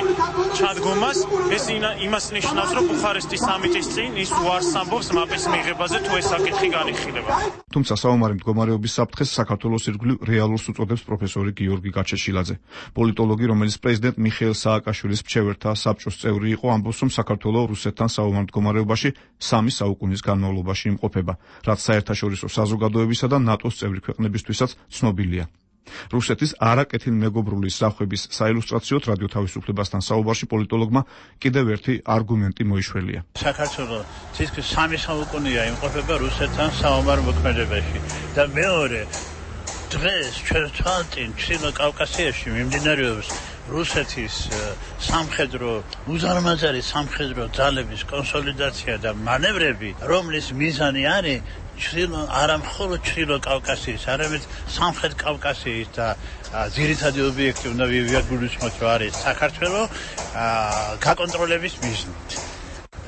ჩადგომას, ეს იმას ნიშნავს, რომ ბუხარესტის სამიტის წინ ის უარს ამბობს მაპის მიღებაზე თუ ეს საკითხი განიხილება. თუმცა საომარი მდგომარეობის საფრთხეს საქართველოს ირგვლივ რეალურს უწოდებს პროფესორი გიორგი გაჩეშილაძე. პოლიტოლოგი, რომელიც პრეზიდენტ მიხეილ სააკაშვილის მრჩეველთა საბჭოს წევრი იყო, ამბობს, რომ საქართველოს რუსეთთან საომარ მდგომარეობაში 3 საუკუნის განმავლობაში იმყოფება, რაც საერთაშორისო საზოგადოებისა და ნატოს წევრი ქვეყნებისთვისაც ცნობილია. რუსეთის არაკეთილმეგობრული სწრაფების საილუსტრაციოდ რადიო თავისუფლებასთან საუბარში პოლიტოლოგმა კიდევ ერთი არგუმენტი მოიშველია. საქართველოს თითქმის 3 საუკუნეა იმყოფება რუსეთთან საომარ მოქმედებაში და მეორე დღეს ჩვენ თვალწინ ჩრდილო კავკასიაში მიმდინარეობს რუსეთის სამხედრო უზარმაზარი სამხედრო ძალების კონსოლიდაცია და მანევრები, რომლის მიზანი არის არა მხოლოდ ჩრდილო კავკასიის, არამედ სამხრეთ კავკასიის და ძირითადი ობიექტი უნდა ვიაგულისხმოთ, რომ არის საქართველოს გაკონტროლების მიზნით.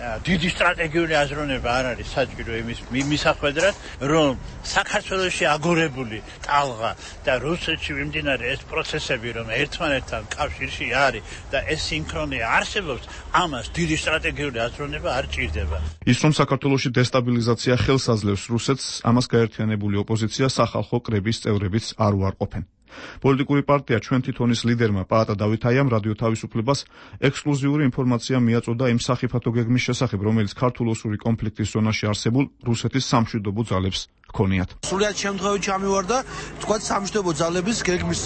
დიდი სტრატეგიული აზროვნება არ არის საჭირო იმის მისახვედრად, რომ საქართველოში აგორებული ტალღა და რუსეთში მიმდინარე ეს პროცესები, რომ ერთმანეთთან კავშირში არის და ეს სინქრონია არსებობს, ამას დიდი სტრატეგიული აზროვნება არ ჭირდება. ის რომ საქართველოში დესტაბილიზაცია ხელს აძლევს რუსეთს, ამას გაერთიანებული ოპოზიცია სახალხო კრების წევრებიც არ უარყოფენ. პოლიტიკური პარტია ჩვენ თითონის ლიდერმა პაატა დავითაიამ რადიო თავისუფლებას ექსკლუზიური ინფორმაცია მიაწოდა იმ სახიფათო გეგმის შესახებ, რომელიც ქართულ-ოსური კონფლიქტის ზონაში არსებულ რუსეთის სამშვიდობო ძალებს ჰქონიათ. სრულად შემთხვევაში ამივარდა, თქვა სამშვიდობო ძალების გეგმის,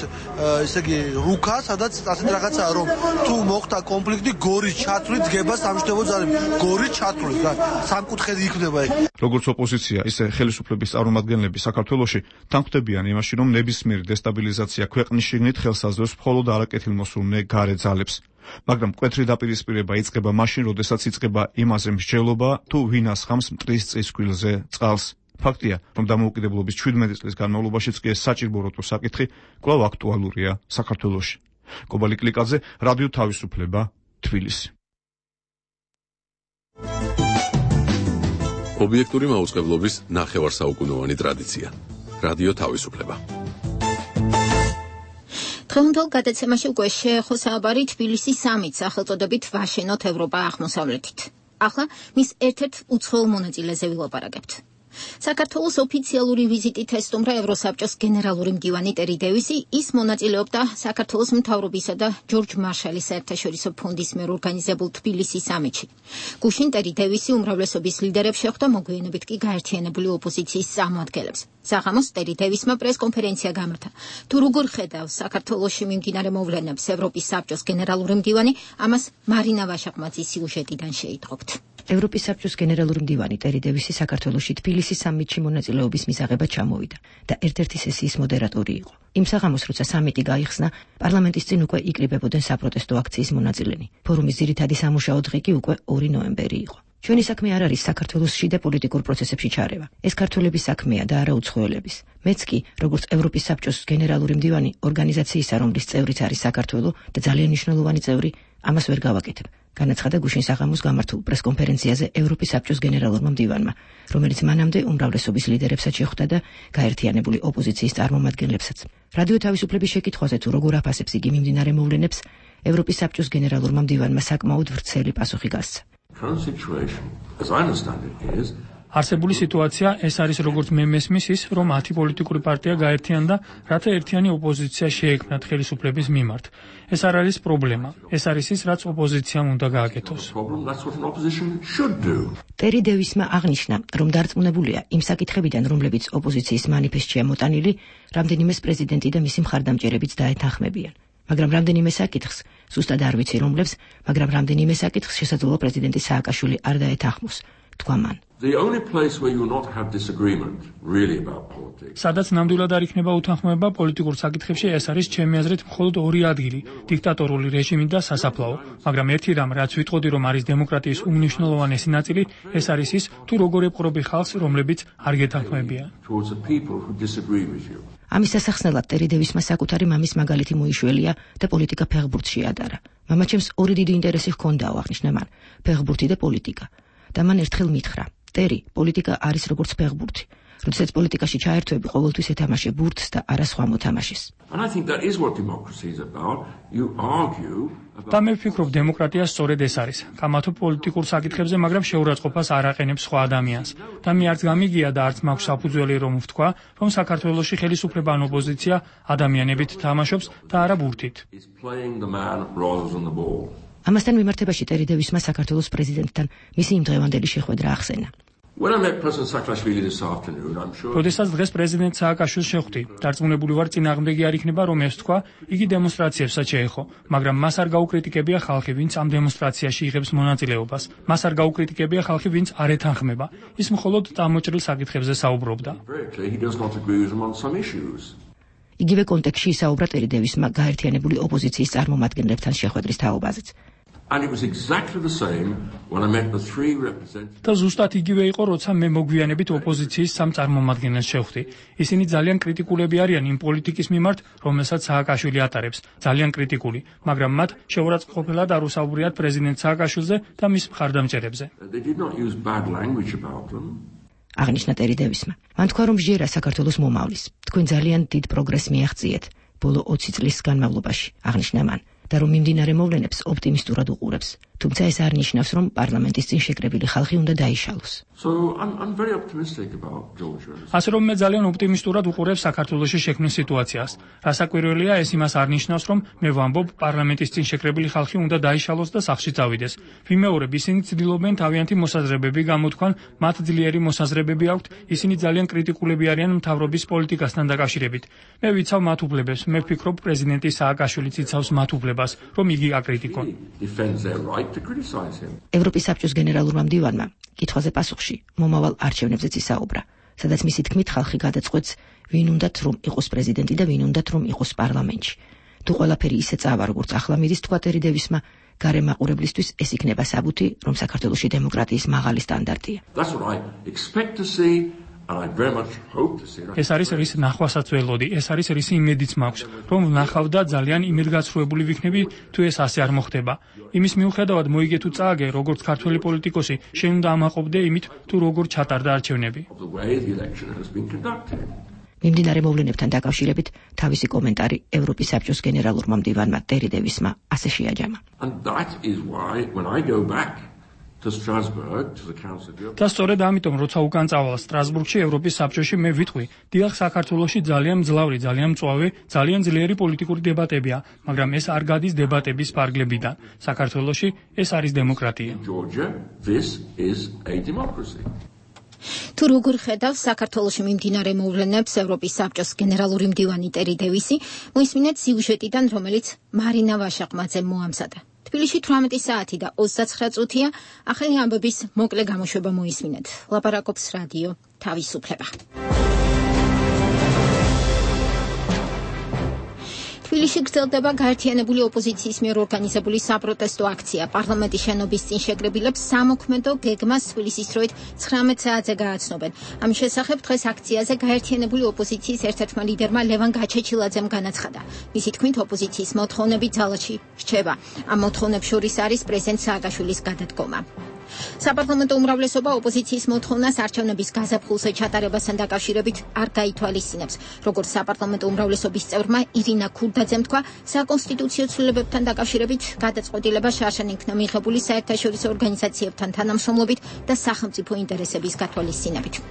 ესე იგი, რუკა, სადაც ასეთ რაღაცაა, რომ თუ მოხდა კონფლიქტი, გორის ჩათვლით დგება სამშვიდობო ძალები. გორის ჩათვლით, სამკუთხედი იქნება ეგ. როგორც ოპოზიცია, ისე ხელისუფლების წარმომადგენლები საქართველოში თანხმდებიან იმაში, რომ ნებისმიერი დესტაბილიზაცია ქვეყნის შიგნით ხელს აძლევს მხოლოდ არაკეთილმოსურნე გარე ძალებს. მაგრამ მკვეთრი დაპირისპირება იწყება მაშინ, როდესაც იწყება იმაზე მსჯელობა, თუ ვინ ასხამს მტრის წისქვილზე წყალს. ფაქტია, რომ დამოუკიდებლობის 17 წლის განმავლობაშიც კი ეს საჭიროებო საკითხი კვლავ აქტუალურია საქართველოში. კობალი კლიკაძე, რადიო თავისუფლება, თბილისი. ობიექტური მაუწყებლობის ნახევარსაუკუნოვანი ტრადიცია. რადიო თავისუფლება. დღევანდელ გადაცემაში უკვე შეეხო საუბარი თბილისის სამიტს სახელწოდებით ვაშენოთ ევროპა აღმოსავლეთით. ახლა მის ერთ-ერთ უცხოელ მონაწილეზე ვილაპარაკებთ. საქართველოს ოფიციალური ვიზიტით ესტუმრა ევროსაბჭოს გენერალური მდივანი ტერი დევისი, ის მონაწილეობდა საქართველოს მთავრობისა და ჯორჯ მარშალის საერთაშორისო ფონდის მიერ ორგანიზებულ თბილისის სამიტში. გუშინ ტერი დევისი უმრავლესობის ლიდერებს შეხვდა, მოგვიანებით კი გაერთიანებული ოპოზიციის წარმომადგენლებს. საღამოს ტერი დევისმა პრესკონფერენცია გამართა. თუ როგორ ხედავს საქართველოში მიმდინარე მოვლენებს ევროპის საბჭოს გენერალური მდივანი, ამას მარინა ვაშაყმაძის სიუჟეტიდან შეიტყობთ. ევროპის საბჭოს გენერალური მდივანი ტერი დევისი საქართველოში თბილისის სამიტში მონაწილეობის მისაღებად ჩამოვიდა და ერთ-ერთი სესიის მოდერატორი იყო. იმ საღამოს, როცა სამიტი გაიხსნა, პარლამენტის წინ უკვე იკრიბებოდნენ საპროტესტო აქციის მონაწილენი. ფორუმის ძირითადი სამუშაო დღე კი უკვე 2 ნოემბერი იყო. ჩვენი საქმე არ არის საქართველოს შიდა პოლიტიკურ პროცესებში ჩარევა. ეს ქართველების საქმეა და არა უცხოელების. მეც კი, როგორც ევროპის საბჭოს გენერალური მდივანი ორგანიზაციისა, რომლის წევრიც არის საქართველო და ძალიან მნიშვნელოვანი წევრი, ამას ვერ გავაკეთებ. განაცხადა გუშინ საღამოს გამართულ პრესკონფერენციაზე ევროპის საბჭოს გენერალურმა მდივანმა, რომელიც მანამდე უმრავლესობის ლიდერებსაც შეხვდა და გაერთიანებული ოპოზიციის წარმომადგენლებსაც. რადიო თავისუფლების შეკითხვაზე თუ როგორ აფასებს იგი მიმდინარე მოვლენებს, ევროპის საბჭოს გენერალურმა მდივანმა საკმაოდ ვრცელი პასუხი გასცა. არსებული სიტუაცია ეს არის როგორც მე მესმის ის, რომ 10 პოლიტიკური პარტია გაერთიანდა, რათა ერთიანი ოპოზიცია შეექმნათ ხელისუფლების მიმართ. ეს არ არის პრობლემა. ეს არის ის, რაც ოპოზიციამ უნდა გააკეთოს. ტერი დევისმა აღნიშნა, რომ დარწმუნებულია იმ საკითხებიდან, რომლებიც ოპოზიციის მანიფესტშია მოტანილი, რამდენიმეს პრეზიდენტი და მისი მხარდამჭერებიც დაეთანხმებიან. მაგრამ რამდენიმე საკითხს, ზუსტად არ ვიცი რომლებს, მაგრამ რამდენიმე საკითხს შესაძლოა პრეზიდენტი სააკაშვილი არ დაეთანხმოს, თქვა მან. სადაც ნამდვილად არ იქნება უთანხმოება პოლიტიკურ საკითხებში, ეს არის ჩემი აზრით მხოლოდ ორი ადგილი: დიქტატორული რეჟიმი და სასაფლაო. მაგრამ ერთი რამ, რაც ვიტყოდი, რომ არის დემოკრატიის უმნიშვნელოვანესი ნაწილი, ეს არის ის, თუ როგორ ეპყრობი ხალხს, რომლებიც არ გეთანხმებიან. ამის სასახსნელად ტერი დევისმა საკუთარი მამის მაგალითი მოიშველია და პოლიტიკა ფეხბურთში ადარა. მამაჩემს ორი დიდი ინტერესი ჰქონდაო, აღნიშნა მან, ფეხბურთი და პოლიტიკა. და მან ერთხელ მითხრა: ტერი, პოლიტიკა არის როგორც ფეხბურთი. როდესაც პოლიტიკაში ჩაერთვები, ყოველთვის ეთამაშე ბურთს და არა სხვა მოთამაშეს. და მე ვფიქრობ, დემოკრატია სწორედ ეს არის. გამართო პოლიტიკურ საკითხებზე, მაგრამ შეურაცხყოფას არ აყენებს სხვა ადამიანს. და მე არც გამიგია და არც მაქვს საფუძველი რომ ვთქვა, რომ საქართველოში ხელისუფლება ან ოპოზიცია ადამიანებით თამაშობს და არა ბურთით. ამასთან მიმართებაში ტერი დევისმა საქართველოს პრეზიდენტთან მისი იმდღევანდელი შეხვედრა ახსენა. როდესაც დღეს პრეზიდენტ სააკაშვილს შეხვდი, დარწმუნებული ვარ, წინააღმდეგი არ იქნება, რომ ეს თქვა, იგი დემონსტრაციებსაც შეეხო, მაგრამ მას არ გაუკრიტიკებია ხალხი, ვინც ამ დემონსტრაციაში იღებს მონაწილეობას. მას არ გაუკრიტიკებია ხალხი, ვინც არ ეთანხმება. ის მხოლოდ წამოჭრილ საკითხებზე საუბრობდა. იგივე კონტექსტში ისაუბრა ტერი დევისმა გაერთიანებული ოპოზიციის წარმომადგენლებთან შეხვედრის თაობაზეც. და ზუსტად იგივე იყო, როცა მე მოგვიანებით ოპოზიციის სამ წარმომადგენელს შევხვდი. ისინი ძალიან კრიტიკულები არიან იმ პოლიტიკის მიმართ, რომელსაც სააკაშვილი ატარებს, ძალიან კრიტიკული, მაგრამ მათ შეურაცხყოფილად არ უსაუბრიათ პრეზიდენტ სააკაშვილზე და მის მხარდამჭერებზე. აღნიშნა ტერი დევისმა. მან თქვა, რომ ჟერა საქართველოს მომავლის. თქვენ ძალიან დიდ პროგრესს მიაღწიეთ ბოლო 20 წლის განმავლობაში, აღნიშნა მან. და რომ მიმდინარე მოვლენებს ოპტიმისტურად უყურებს. თუმცა ეს არ ნიშნავს, რომ პარლამენტის წინ შეკრებილი ხალხი უნდა დაიშალოს. ასე რომ მე ძალიან ოპტიმისტურად უყურებ საქართველოში შექმნილ სიტუაციას. რასაკვირველია, ეს იმას არ ნიშნავს, რომ მე ვამბობ, პარლამენტის წინ შეკრებილი ხალხი უნდა დაიშალოს და სახლში წავიდეს. ვიმეორებ, ისინი ცდილობენ თავიანთი მოსაზრებები გამოთქვან, მათ ძლიერი მოსაზრებები აქვთ, ისინი ძალიან კრიტიკულები არიან მთავრობის პოლიტიკასთან დაკავშირებით. მე ვიცავ მათ უფლებებს, მე ვფიქრობ, პრეზიდენტი სააკაშვილი იცავს მათ უფლებას, რომ იგი აკრიტიკონ. ევროპის საბჭოს გენერალურმა მდივანმა კითხვაზე პასუხში მომავალ არჩევნებზეც ისაუბრა, სადაც მისი თქმით ხალხი გადაწყვეტს, ვინ უნდათ რომ იყოს პრეზიდენტი და ვინ უნდათ რომ იყოს პარლამენტში. თუ ყველაფერი ისე წავა, როგორც ახლა მიდის, თქვა ტერი დევისმა, გარემაყურებლისთვის ეს იქნება საბუთი, რომ საქართველოში დემოკრატიის მაღალი სტანდარტია. ეს არის რის ნახვასაც ველოდი, ეს არის რის იმედიც მაქვს, რომ ვნახავ და ძალიან იმედგაცრუებული ვიქნები, თუ ეს ასე არ მოხდება. იმის მიუხედავად მოიგე თუ წააგე, როგორც ქართველი პოლიტიკოსი, შენ უნდა ამაყობდე იმით, თუ როგორ ჩატარდა არჩევნები. მიმდინარე მოვლენებთან დაკავშირებით თავისი კომენტარი ევროპის საბჭოს გენერალურმა მდივანმა ტერი დევისმა ასე შეაჯამა. და სწორედ ამიტომ, როცა უკან წავალ სტრასბურგში ევროპის საბჭოში, მე ვიტყვი, დიახ, საქართველოში ძალიან მძლავრი, ძალიან მწვავე, ძალიან ძლიერი პოლიტიკური დებატებია, მაგრამ ეს არ გადის დებატების ფარგლებიდან. საქართველოში ეს არის დემოკრატია. თუ როგორ ხედავს საქართველოში მიმდინარე მოვლენებს ევროპის საბჭოს გენერალური მდივანი ტერი დევისი, მოისმინეთ სიუჟეტიდან, რომელიც მარინა ვაშაყმაძემ მოამზადა. თბილისში 18 საათი და 29 წუთია, ახალი ამბების მოკლე გამოშვება მოისმინეთ. ლაპარაკობს რადიო თავისუფლება. თბილისში გრძელდება გაერთიანებული ოპოზიციის მიერ ორგანიზებული საპროტესტო აქცია. პარლამენტის შენობის წინ შეკრებილებს სამოქმედო გეგმას თბილისის დროით 19 საათზე გააცნობენ. ამის შესახებ დღეს აქციაზე გაერთიანებული ოპოზიციის ერთ-ერთმა ლიდერმა ლევან გაჩეჩილაძემ განაცხადა. მისი თქმით, ოპოზიციის მოთხოვნები ძალაში რჩება. ამ მოთხოვნებს შორის არის პრეზიდენტ სააკაშვილის გადადგომა. საპარლამენტო უმრავლესობა ოპოზიციის მოთხოვნას არჩევნების გაზაფხულზე ჩატარებასთან დაკავშირებით არ გაითვალისწინებს. როგორც საპარლამენტო უმრავლესობის წევრმა ირინა ქურდაძემ თქვა, საკონსტიტუციო ცვლილებებთან დაკავშირებით გადაწყვეტილება შარშან იქნა მიღებული საერთაშორისო ორგანიზაციებთან თანამშრომლობით და სახელმწიფო ინტერესების გათვალისწინებით.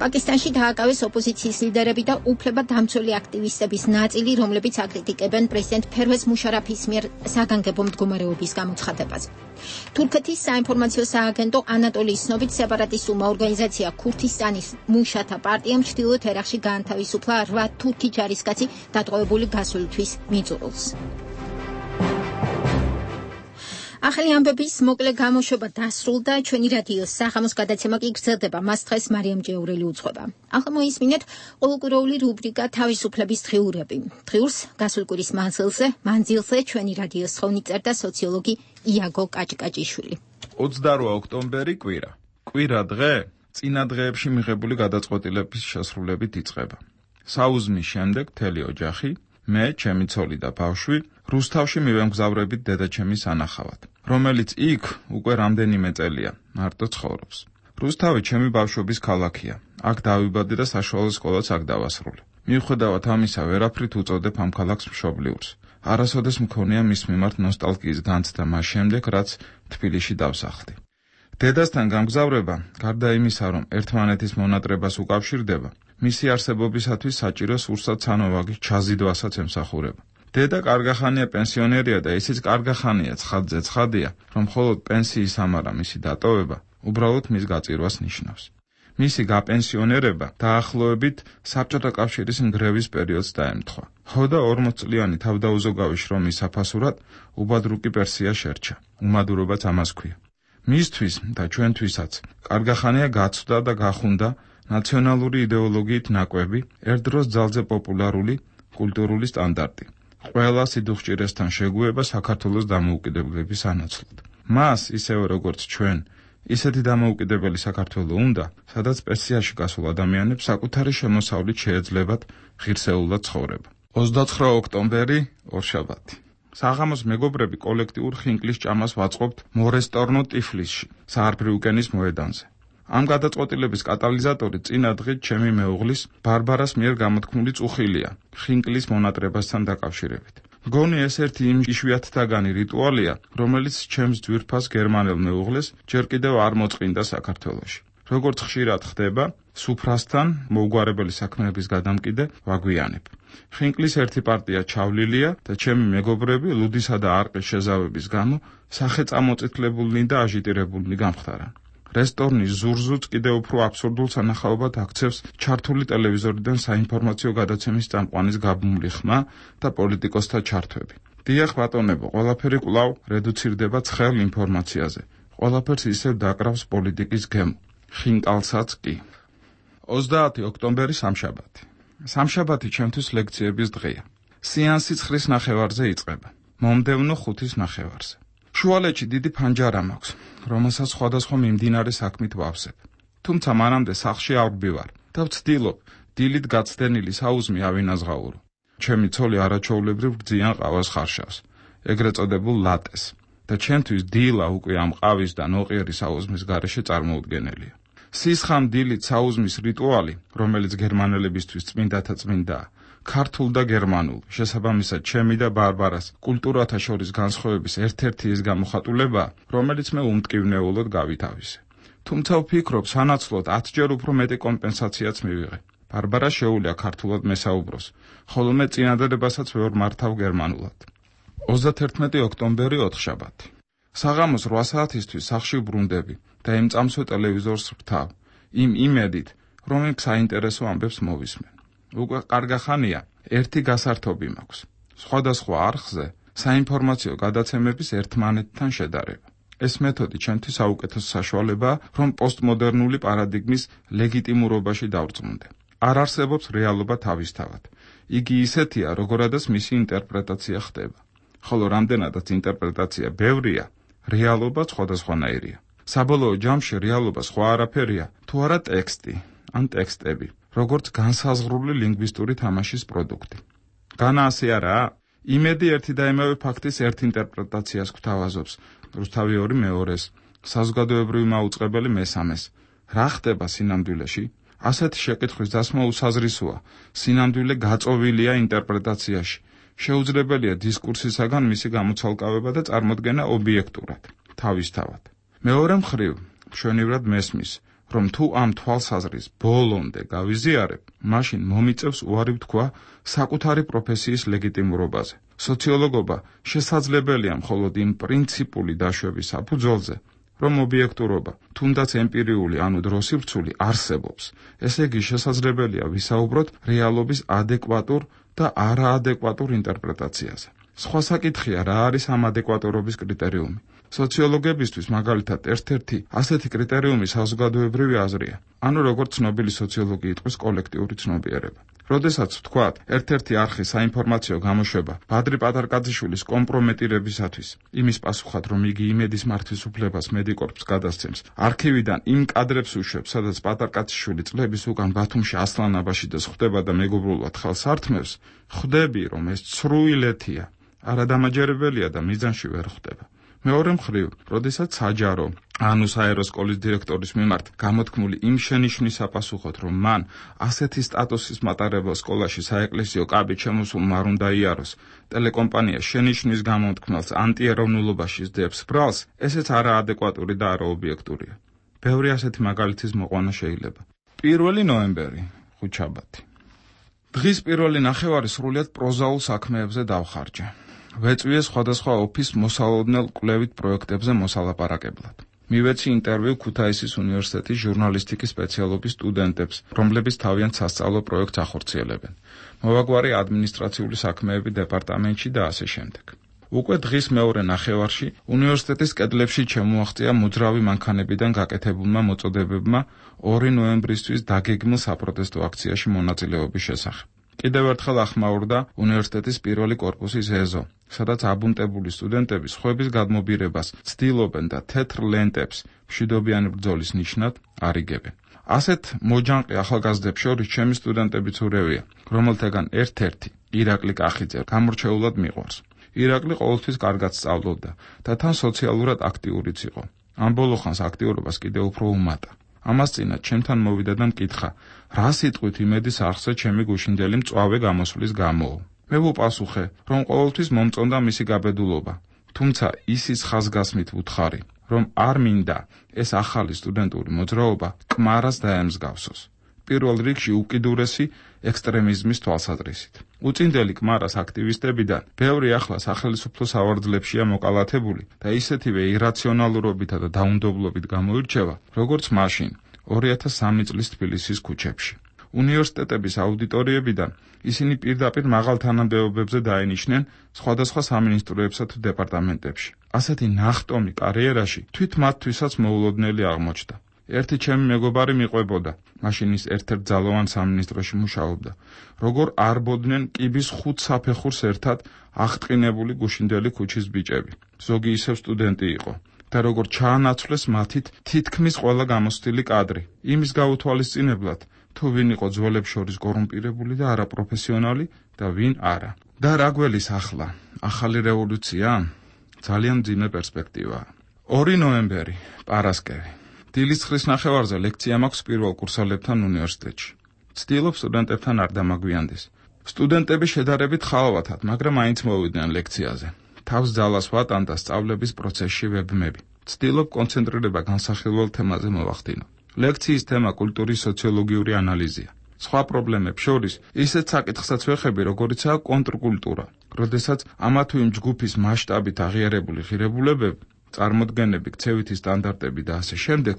პაკისტანში დააკავეს ოპოზიციის ლიდერები და უფლებადამცველი აქტივისტების ნაწილი, რომლებიც აკრიტიკებენ პრეზიდენტ ფერვეზ მუშარაფის მიერ საგანგებო მდგომარეობის გამოცხადებაზე. თურქეთის საინფორმაციო სააგენტო ანატოლიის ცნობით სეპარატისტულმა ორგანიზაცია ქურთისტანის მუშათა პარტიამ ჩრდილოეთ ერაყში გაანთავისუფლა 8 თურქი ჯარისკაცი დატყვევებული გასვლისთვის მიწურულს. ახალი ამბების მოკლე გამოშვება დასრულდა. ჩვენი რადიოს საღამოს გადაცემა კი გრძელდება. მას დღეს მარიამ ჯეურელი უძღვება. ახლა მოისმინეთ ყოველკვირეული რუბრიკა თავისუფლების დღიურები. დღიურს გასულ კვირის მანძილზე ჩვენი რადიოს ხოვნით წერდა სოციოლოგი იაგო კაჭკაჭიშვილი. 28 ოქტომბერი კვირა. კვირა დღე წინა დღეებში მიღებული გადაწყვეტილების შესრულებით იწყება. საუზმის შემდეგ მთელი ოჯახი, მე, ჩემი ცოლი და ბავშვი რუსთავში მივემგზავრებით დედაჩემის სანახავად, რომელიც იქ უკვე რამდენიმე წელია მარტო ცხოვრობს. რუსთავი ჩემი ბავშვობის ქალაქია. აქ დავიბადე და საშუალო სკოლაც აქ დავასრულე. მიუხედავად ამისა, ვერაფრით უწოდებ ამ ქალაქს მშობლიურს. არასოდეს მქონია მის მიმართ ნოსტალგიის განცდა მას შემდეგ, რაც თბილისში დავსახლდი. დედასთან გამგზავრება, გარდა იმისა, რომ ერთმანეთის მონატრებას უკავშირდება, მისი არსებობისათვის საჭირო სურსათ სანოვაგის ჩაზიდვასაც ემსახურება. დედა კარგახანია პენსიონერია და ისიც კარგახანია ცხადზე ცხადია, რომ მხოლოდ პენსიის ამარა მისი დატოვება უბრალოდ მის გაწირვას ნიშნავს. მისი გაპენსიონერება დაახლოებით საბჭოთა კავშირის ნგრევის პერიოდს დაემთხვა. ხოდა 40 წლიანი თავდაუზოგავი შრომის საფასურად უბადრუკი პერსია შერჩა. უმადურობაც ამას ქვია. მისთვის და ჩვენთვისაც კარგახანია გაცვდა და გახუნდა ნაციონალური იდეოლოგიით ნაკვები, ერთდროს ძალზე პოპულარული კულტურული სტანდარტი. ყველა სიდუხჭირესთან შეგუება საქართველოს დამოუკიდებლობის ანაცვლოდ. მას, ისევე როგორც ჩვენ, ისეთი დამოუკიდებელი საქართველო უნდა, სადაც პენსიაში გასულ ადამიანებს საკუთარი შემოსავლით შეეძლებათ ღირსეულად ცხოვრება. 29 ოქტომბერი, ორშაბათი. საღამოს მეგობრები კოლექტიურ ხინკლის ჭამას ვაწყობთ მორესტორნო ტიფლისში, საარბრიუკენის მოედანზე. ამ გადაწყვეტილების კატალიზატორი წინა დღით ჩემი მეუღლის ბარბარას მიერ გამოთქმული წუხილია ხინკლის მონატრებასთან დაკავშირებით. მგონი ეს ერთი იმ იშვიათთაგანი რიტუალია, რომელიც ჩემს ძვირფას გერმანელ მეუღლეს ჯერ კიდევ არ მოწყინდა საქართველოში. როგორც ხშირად ხდება, სუფრასთან მოუგვარებელი საქმეების გადამკიდე ვაგვიანებ. ხინკლის ერთი პარტია ჩავლილია და ჩემი მეგობრები ლუდისა და არყის შეზავების გამო სახეწამოწითლებულნი და აჟიტირებულნი გამხდარან. რესტორნის ზურზუც კიდევ უფრო აბსურდულ სანახაობად აქცევს ჩართული ტელევიზორიდან საინფორმაციო გადაცემის წამყვანის გაბმული ხმა და პოლიტიკოსთა ჩართვები. დიახ ბატონებო, ყველაფერი კვლავ რედუცირდება ცხელ ინფორმაციაზე. ყველაფერს ისევ დაკრავს პოლიტიკის გემო. ხინკალსაც კი. 30 ოქტომბერი სამშაბათი. სამშაბათი ჩემთვის ლექციების დღეა. სეანსი 9-ის ნახევარზე იწყება. მომდევნო 5-ის ნახევარზე. შუალედში დიდი ფანჯარა მაქვს, რომელსაც სხვადასხვა მიმდინარე საქმით ვავსებ. თუმცა მანამდე სახლში არ ვბივარ და ვცდილობ დილით გაცდენილი საუზმი ავინაზღაურო. ჩემი ცოლი არაჩვეულებრივ გძიან ყავას ხარშავს, ეგრეთ წოდებულ ლატეს, და ჩემთვის დილა უკვე ამ ყავის და ნოყიერი საუზმის გარეშე წარმოუდგენელია. სისხამ დილით საუზმის რიტუალი, რომელიც გერმანელებისთვის წმინდათა წმინდაა, ქართულ და გერმანულ, შესაბამისად ჩემი და ბარბარას კულტურათა შორის განსხვავების ერთ-ერთი ის გამოხატულებაა, რომელიც მე უმტკივნეულოდ გავითავისე. თუმცა ვფიქრობ, სანაცვლოდ 10-ჯერ უფრო მეტი კომპენსაციაც მივიღე. ბარბარა შეუძლია ქართულად მესაუბროს, ხოლო მე წინადადებასაც ვერ მართავ გერმანულად. 31 ოქტომბერი ოთხშაბათი. საღამოს 8 საათისთვის სახლში ვბრუნდები და იმ წამსვე ტელევიზორს ვთავ, იმ იმედით, რომ იქ საინტერესო ამბებს მოვისმენ. უკვე კარგახანია ერთი გასართობი მაქვს. სხვადასხვა არხზე საინფორმაციო გადაცემების ერთმანეთთან შედარება. ეს მეთოდი ჩემთვის საუკეთესო საშუალებაა, რომ პოსტმოდერნული პარადიგმის ლეგიტიმურობაში დავრწმუნდე. არ არსებობს რეალობა თავისთავად. იგი ისეთია, როგორადაც მისი ინტერპრეტაცია ხდება. ხოლო რამდენადაც ინტერპრეტაცია ბევრია, რეალობა სხვადასხვანაირია. საბოლოო ჯამში რეალობა სხვა არაფერია, თუ არა ტექსტი, ან ტექსტები, როგორც განსაზღვრული ლინგვისტური თამაშის პროდუქტი. განა ასე არაა? იმედი ერთი და იმავე ფაქტის ერთ ინტერპრეტაციას გვთავაზობს, რუსთავი ორი მეორეს, საზოგადოებრივი მაუწყებელი მესამეს. რა ხდება სინამდვილეში? ასეთი შეკითხვის დასმა უსაზრისოა. სინამდვილე გაწოვილია ინტერპრეტაციაში. შეუძლებელია დისკურსისაგან მისი გამოცალკავება და წარმოდგენა ობიექტურად, თავისთავად. მეორე მხრივ, მშვენივრად მესმის, რომ თუ ამ თვალსაზრის ბოლომდე გავიზიარებ, მაშინ მომიწევს უარი ვთქვა საკუთარი პროფესიის ლეგიტიმურობაზე. სოციოლოგობა შესაძლებელია მხოლოდ იმ პრინციპული დაშვების საფუძველზე, რომ ობიექტურობა, თუნდაც ემპირიული, ანუ დროსივრცული, არსებობს. ესე იგი შესაძლებელია ვისაუბროთ რეალობის ადეკვატურ და არაადეკვატურ ინტერპრეტაციაზე. სხვა საკითხია, რა არის ამ ადეკვატურობის კრიტერიუმი. სოციოლოგებისთვის მაგალითად ერთ-ერთი ასეთი კრიტერიუმი საზოგადოებრივი აზრია, ანუ როგორც ცნობილი სოციოლოგი იტყვის კოლექტიური ცნობიერება. როდესაც ვთქვათ, ერთ-ერთი არხი საინფორმაციო გამოშვება ბადრი პატარკაძიშვილის კომპრომეტირებისათვის, იმის პასუხად, რომ იგი იმედის მართვის უფლებას მედიკორპს გადასცემს, არქივიდან იმ კადრებს უშვებს, სადაც პატარკაძიშვილი წლების უკან ბათუმში ასლანაბაშიძეს ხვდება და მეგობრულად ხელს ართმევს, ხვდები, რომ ეს ცრუილეთია, არადამაჯერებელია და მიზანში ვერ ხვდება. მეორე მხრივ, როდესაც საჯარო, ანუ საერო სკოლის დირექტორის მიმართ გამოთქმული იმ შენიშვნის საპასუხოდ, რომ მან ასეთი სტატუსის მატარებელ სკოლაში საეკლესიო კაბით შემოსულმა არ უნდა იაროს, ტელეკომპანია შენიშვნის გამოთქმელს ანტიეროვნულობაში სდებს ბრალს, ესეც არაადეკვატური და არაობიექტურია. ბევრი ასეთი მაგალითის მოყვანა შეიძლება. 1 ნოემბერი, ხუთშაბათი. დღის პირველი ნახევარი სრულიად პროზაულ საქმეებზე დავხარჯე. ვეწვიე სხვადასხვა ოფის მოსალოდნელ კვლევით პროექტებზე მოსალაპარაკებლად. მივეცი ინტერვიუ ქუთაისის უნივერსიტეტის ჟურნალისტიკის სპეციალობის სტუდენტებს, რომლებიც თავიანთ სასწავლო პროექტს ახორციელებენ. მოვაგვარი ადმინისტრაციული საქმეები დეპარტამენტში და ასე შემდეგ. უკვე დღის მეორე ნახევარში უნივერსიტეტის კედლებში შემოაღწია მოძრავი მანქანებიდან გაკეთებულმა მოწოდებებმა 2 ნოემბრისთვის დაგეგმილ საპროტესტო აქციაში მონაწილეობის შესახებ. კიდევ ერთხელ ახმაურდა უნივერსიტეტის პირველი კორპუსის ეზო, სადაც აბუნტებული სტუდენტები სხვების გადმობირებას ცდილობენ და თეთრ ლენტებს მშვიდობიანი ბრძოლის ნიშნად არიგებენ. ასეთ მოჯანყი ახალგაზრდებს შორის ჩემი სტუდენტებიც ურევია, რომელთაგან ერთ-ერთი, ირაკლი კახიძე, გამორჩეულად მიყვარს. ირაკლი ყოველთვის კარგად სწავლობდა და თან სოციალურად აქტიურიც იყო. ამ ბოლო ხანს აქტიურობას კიდევ უფრო უმატა. ამას წინათ ჩემთან მოვიდა და მკითხა, რა სიტყვით იმედის არხზე ჩემი გუშინდელი მწვავე გამოსვლის გამო. მე ვუპასუხე, რომ ყოველთვის მომწონდა მისი გაბედულობა, თუმცა ისიც ხაზგასმით ვუთხარი, რომ არ მინდა ეს ახალი სტუდენტური მოძრაობა კმარას დაემსგავსოს. პირველ რიგში უკიდურესი ექსტრემიზმის თვალსაზრისით. უწინდელი კმარას აქტივისტებიდან ბევრი ახლა სახელმწიფო სავარძლებშია მოკალათებული და ისეთივე ირაციონალურობითა და დაუნდობლობით გამოირჩევა, როგორც მაშინ 2003 წლის თბილისის ქუჩებში. უნივერსიტეტების აუდიტორიებიდან ისინი პირდაპირ მაღალ თანამდებობებზე დაენიშნენ სხვადასხვა სამინისტროებსა თუ დეპარტამენტებში. ასეთი ნახტომი კარიერაში თვით მათთვისაც მოულოდნელი აღმოჩნდა. ერთი ჩემი მეგობარი მიყვებოდა, მაშინ ის ერთ-ერთ ძალოვან სამინისტროში მუშაობდა, როგორ არბოდნენ კიბის 5 საფეხურს ერთად აღტყინებული გუშინდელი ქუჩის ბიჭები. ზოგი ისევ სტუდენტი იყო და როგორ ჩაანაცვლეს მათით თითქმის ყველა გამოცდილი კადრი, იმის გაუთვალისწინებლად, თუ ვინ იყო ძველებს შორის კორუმპირებული და არაპროფესიონალი და ვინ არა. და რა გველის ახლა, ახალი რევოლუცია? ძალიან მძიმე პერსპექტივაა. 2 ნოემბერი, პარასკევი. დილის 9 ნახევარზე ლექცია მაქვს პირველ კურსოლებთან უნივერსიტეტში. ვცდილობ სტუდენტებთან არ დამაგვიანდეს. სტუდენტები შედარებით ხალვათად, მაგრამ მაინც მოვიდნენ ლექციაზე. თავს ძალას ვატან და სწავლების პროცესში ვებმები. ვცდილობ კონცენტრირება განსახილველ თემაზე მოვახდინო. ლექციის თემა კულტურის სოციოლოგიური ანალიზია. სხვა პრობლემებს შორის ისეთ საკითხსაც ვეხები, როგორიცაა კონტრკულტურა, როდესაც ამა თუ იმ ჯგუფის მასშტაბით აღიარებული ღირებულებები, წარმოდგენები, ქცევითი სტანდარტები და ასე შემდეგ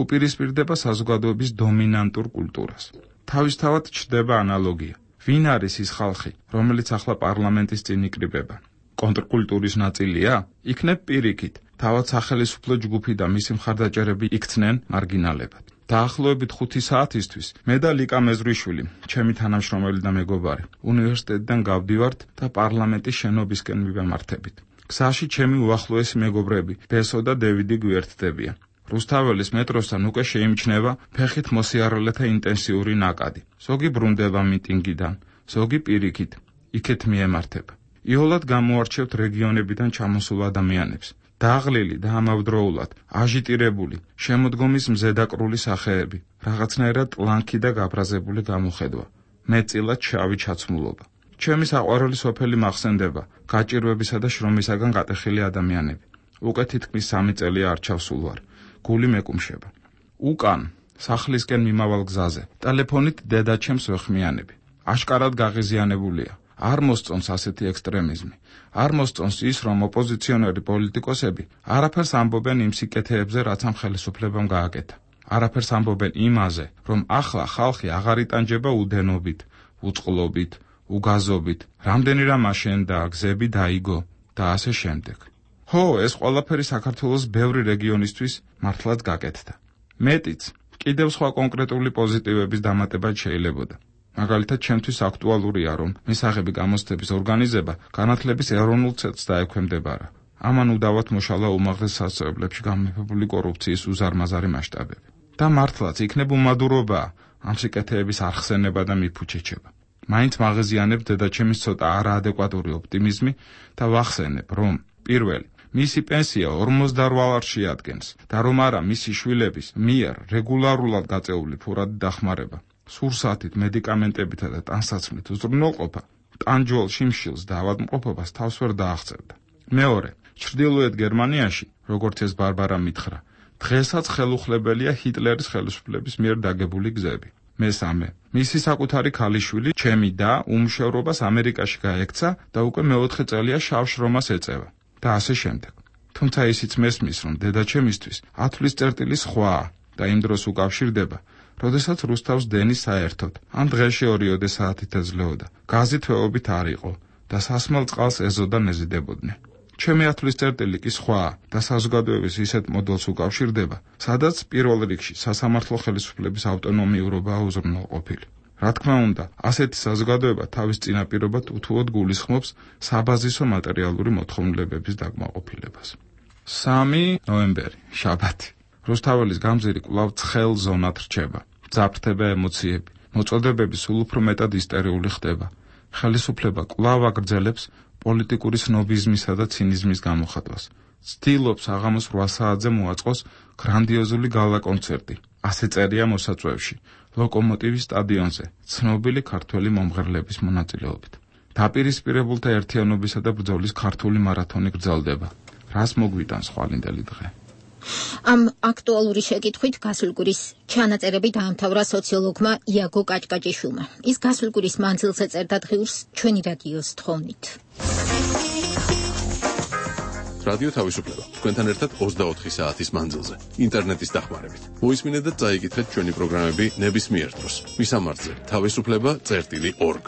უპირისპირდება საზოგადოების დომინანტურ კულტურას. თავისთავად ჩნდება ანალოგია. ვინ არის ის ხალხი, რომელიც ახლა პარლამენტის წინ იკრიბება? კონტრკულტურის ნაწილია? იქნებ პირიქით, თავად სახელისუფლო ჯგუფი და მისი მხარდაჭერები იქცნენ მარგინალებად. დაახლოებით 5 საათისთვის მე და ლიკა მეზრიშვილი, ჩემი თანამშრომელი და მეგობარი, უნივერსიტეტიდან გავდივართ და პარლამენტის შენობისკენ მივემართებით. გზაში ჩემი უახლოესი მეგობრები, ბესო და დევიდი გვერდდებიან. რუსთაველის მეტროსთან უკვე შეიმჩნევა ფეხით მოსიარულეთა ინტენსიური ნაკადი. ზოგი ბრუნდება მიტინგიდან, ზოგი პირიქით, იქეთ მიემართება. იოლად გამოარჩევთ რეგიონებიდან ჩამოსულ ადამიანებს. დაღლილი და ამავდროულად აჟიტირებული, შემოდგომის მზედაკრული სახეები, რაღაცნაირად ტლანქი და გაბრაზებული გამოხედვა, მეტწილად შავი ჩაცმულობა. ჩემი საყვარელი სოფელი მახსენდება, გაჭირვებისა და შრომისაგან გატეხილი ადამიანები. უკვე თითქმის 3 წელია არ ჩავსულ ვარ. გული მეკუმშება. უკან, სახლისკენ მიმავალ გზაზე, ტელეფონით დედაჩემს ვეხმიანები. აშკარად გაღიზიანებულია. არ მოსწონს ასეთი ექსტრემიზმი. არ მოსწონს ის, რომ ოპოზიციონერი პოლიტიკოსები არაფერს ამბობენ იმ სიკეთეებზე, რაც ამ ხელისუფლებამ გააკეთა. არაფერს ამბობენ იმაზე, რომ ახლა ხალხი აღარ იტანჯება უდენობით, უწყლობით, უგაზობით, რამდენი რამ აშენდა, გზები დაიგო და ასე შემდეგ. ხო, ეს ყველაფერი საქართველოს ბევრი რეგიონისთვის მართლაც გაკეთდა. მეტიც, კიდევ სხვა კონკრეტული პოზიტივების დამატება შეიძლებოდა. მაგალითად, ჩემთვის აქტუალურია, რომ მისაღები გამოცდების ორგანიზება განათლების ეროვნულ ცენტრს დაექვემდებარა. ამან უდავად მოშალა უმაღლეს სასწავლებლებში გამეფებული კორუფციის უზარმაზარი მასშტაბები. და მართლაც იქნებ უმადურობა ამ სიკეთეების არხსენება და მიფუჩეჩება. მაინც მაღაზიანებ დედაჩემის ცოტა არაადეკვატური ოპტიმიზმი და ვახსენებ, რომ პირველი მისი პენსია 48 ლარს შეადგენს და რომ არა მისი შვილების მიერ რეგულარულად გაწეული ფურადი დახმარება, სურსათით, მედიკამენტებითა და ტანსაცმლით უზრუნველყოფა, ტანჯვალ შიმშილს და ავადმყოფობას თავს ვერ დააღწევდა. მეორე, ჩრდილოეთ გერმანიაში, როგორც ეს ბარბარა მითხრა, დღესაც ხელუხლებელია ჰიტლერის ხელისუფლების მიერ დაგებული გზები. მესამე, მისი საკუთარი ქალიშვილი, ჩემი და უმუშევრობას ამერიკაში გაექცა და უკვე მეოთხე წელია შავ შრომას ეწევა. და ასე შემდეგ. თუმცა ისიც მესმის, რომ დედაჩემისთვის ათვლის წერტილი სხვაა და იმ დროს უკავშირდება, როდესაც რუსთავს დენი საერთოდ, ამ დღეში 2 საათით ეძლეოდა, გაზი თვეობით არ იყო და სასმელ წყალს ეზოდან ეზიდებოდნენ. ჩემი ათვლის წერტილი კი სხვაა და საზოგადოების ისეთ მოდელს უკავშირდება, სადაც პირველ რიგში სასამართლო ხელისუფლების ავტონომიურობაა უზრუნველყოფილი. რა თქმა უნდა, ასეთი საზოგადოება თავის წინაპირობად უთუოდ გულისხმობს საბაზისო მატერიალური მოთხოვნილებების დაკმაყოფილებას. 3 ნოემბერი, შაბათი. რუსთაველის გამზირი კვლავ ცხელ ზონად რჩება. ძაფრდება ემოციები, მოწოდებები სულ უფრო მეტად ისტერიული ხდება. ხელისუფლება კვლავ აგრძელებს პოლიტიკური სნობიზმისა და ცინიზმის გამოხატვას. ცდილობს აღამოს 8 საათზე მოაწყოს გრანდიოზული გალა კონცერტი. ასე წერია მოსაწვევში. ლოკომოტივის სტადიონზე, ცნობილი ქართველი მომღერლების მონაწილეობით. დაპირისპირებულთა ერთიანობისა და ბრძოლის ქართული მარათონი გრძელდება. რას მოგვიტანს ხვალინდელი დღე? ამ აქტუალური შეკითხვით გასულ კვირის ჩანაწერები დაამთავრა სოციოლოგმა იაგო კაჭკაჭიშვილმა. ის გასულ კვირის მანძილზე წერდა დღიურს ჩვენი რადიოს თხოვნით. რადიო თავისუფლება. თქვენთან ერთად 24 საათის მანძილზე, ინტერნეტის დახმარებით. მოისმინეთ და წაიკითხეთ ჩვენი პროგრამები ნებისმიერ დროს. მისამართზე თავისუფლება.org.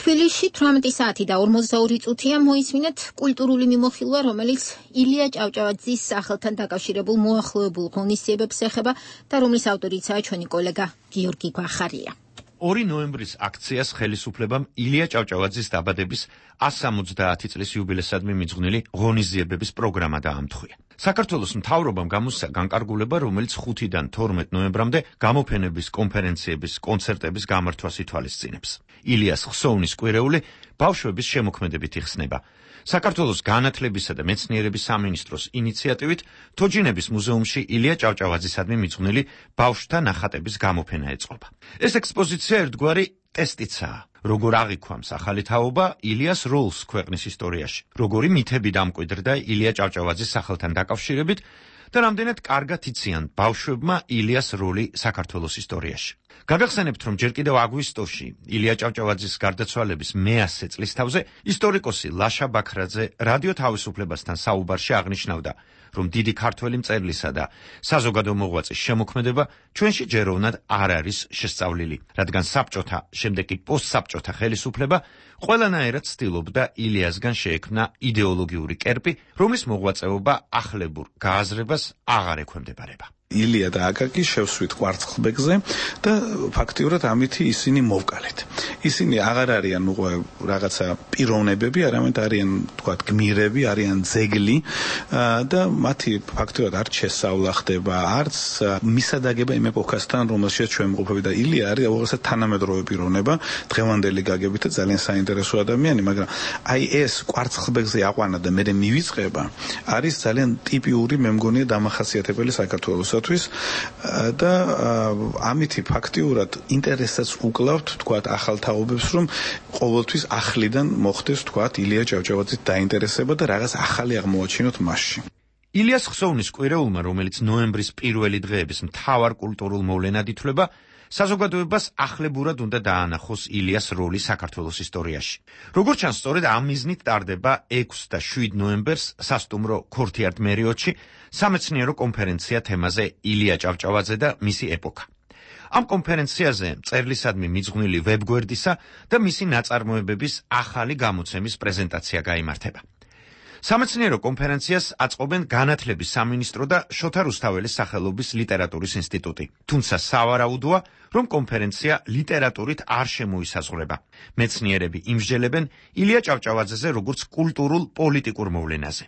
თბილისში 18 საათი და 42 წუთია მოისმინეთ კულტურული მიმოხილვა, რომელიც ილია ჭავჭავაძის სახელთან დაკავშირებულ მოახლოებულ ღონისძიებებს ეხება და რომლის ავტორიცაა ჩვენი კოლეგა გიორგი გვახარია. 2 ნოემბრის აქციას ხელისუფლებამ ილია ჭავჭავაძის დაბადების 170 წლის იუბილესადმი მიძღვნილი ღონისძიებების პროგრამა დაამთხვია. საქართველოს მთავრობამ გამოსცა განკარგულება, რომელიც 5-დან 12 ნოემბრამდე გამოფენების, კონფერენციების, კონცერტების გამართვას ითვალისწინებს. ილიას ხსოვნის კვირეული ბავშვების შემოქმედებით იხსნება. საქართველოს განათლებისა და მეცნიერების სამინისტროს ინიციატივით თოჯინების მუზეუმში ილია ჭავჭავაძისადმი მიძღვნილი ბავშვთა ნახატების გამოფენა ეწყობა. ეს ექსპოზიცია ერთგვარი ტესტიცაა. როგორ აღიქვამს ახალი თაობა ილიას როლს ქვეყნის ისტორიაში, როგორი მითები დამკვიდრდა ილია ჭავჭავაძის სახელთან დაკავშირებით და რამდენად კარგად იციან ბავშვებმა ილიას როლი საქართველოს ისტორიაში. გაგახსენებთ, რომ ჯერ კიდევ აგვისტოში ილია ჭავჭავაძის გარდაცვალების 100 წლისთავზე ისტორიკოსი ლაშა ბაქრაძე რადიო თავისუფლებასთან საუბარში აღნიშნავდა, რომ დიდი ქართველი მწერლისა და საზოგადო მოღვაწის შემოქმედება ჩვენში ჯეროვნად არ არის შესწავლილი, რადგან საბჭოთა, შემდეგ კი პოსტსაბჭოთა ხელისუფლება ყველანაირად ცდილობდა ილიასგან შეექმნა იდეოლოგიური კერპი, რომლის მოღვაწეობა ახლებურ გააზრებას აღარ ექვემდებარება. ილია და აკაკი შევსვით კვარცხლბეკზე და ფაქტიურად ამითი ისინი მოვკალეთ. ისინი აღარ არიან რაღაცა პიროვნებები, არამედ არიან თქვათ გმირები, არიან ძეგლი და მათი ფაქტიურად არც შესწავლა ხდება, არც მისადაგება იმ ეპოქასთან, რომელშიც ჩვენ მყოფები და ილია არის უაღრესად თანამედროვე პიროვნება, დღევანდელი გაგებით და ძალიან საინტერესო ადამიანი, მაგრამ აი ეს კვარცხლბეკზე აყვანა და მე მივიწყება, არის ძალიან ტიპიური, მე მგონია დამახასიათებელი საქართველოს და ამითი ფაქტიურად ინტერესსაც უკლავთ თქვათ ახალ თაობებს რომ ყოველთვის ახლიდან მოხდეს თქვათ ილია ჭავჭავაძის დაინტერესება და რაღაც ახალი აღმოაჩინოთ მასში. ილიას ხსოვნის კვირეულმა, რომელიც ნოემბრის პირველი დღეების მთავარ კულტურულ მოვლენად ითვლება, საზოგადოებას ახლებურად უნდა დაანახოს ილიას როლი საქართველოს ისტორიაში. როგორც ჩანს, სწორედ ამ მიზნით ტარდება 6 და 7 ნოემბერს სასტუმრო ქორთიარდ მერიოტში სამეცნიერო კონფერენცია თემაზე ილია ჭავჭავაძე და მისი ეპოქა. ამ კონფერენციაზე მწერლისადმი მიძღვნილი ვებგვერდისა და მისი ნაწარმოებების ახალი გამოცემის პრეზენტაცია გაიმართება. სამეცნიერო კონფერენციას აწყობენ განათლების სამინისტრო და შოთა რუსთაველის სახელობის ლიტერატურის ინსტიტუტი. თუმცა სავარაუდოა, რომ კონფერენცია ლიტერატურით არ შემოისაზღვრება. მეცნიერები იმსჯელებენ ილია ჭავჭავაძეზე როგორც კულტურულ პოლიტიკურ მოვლენაზე.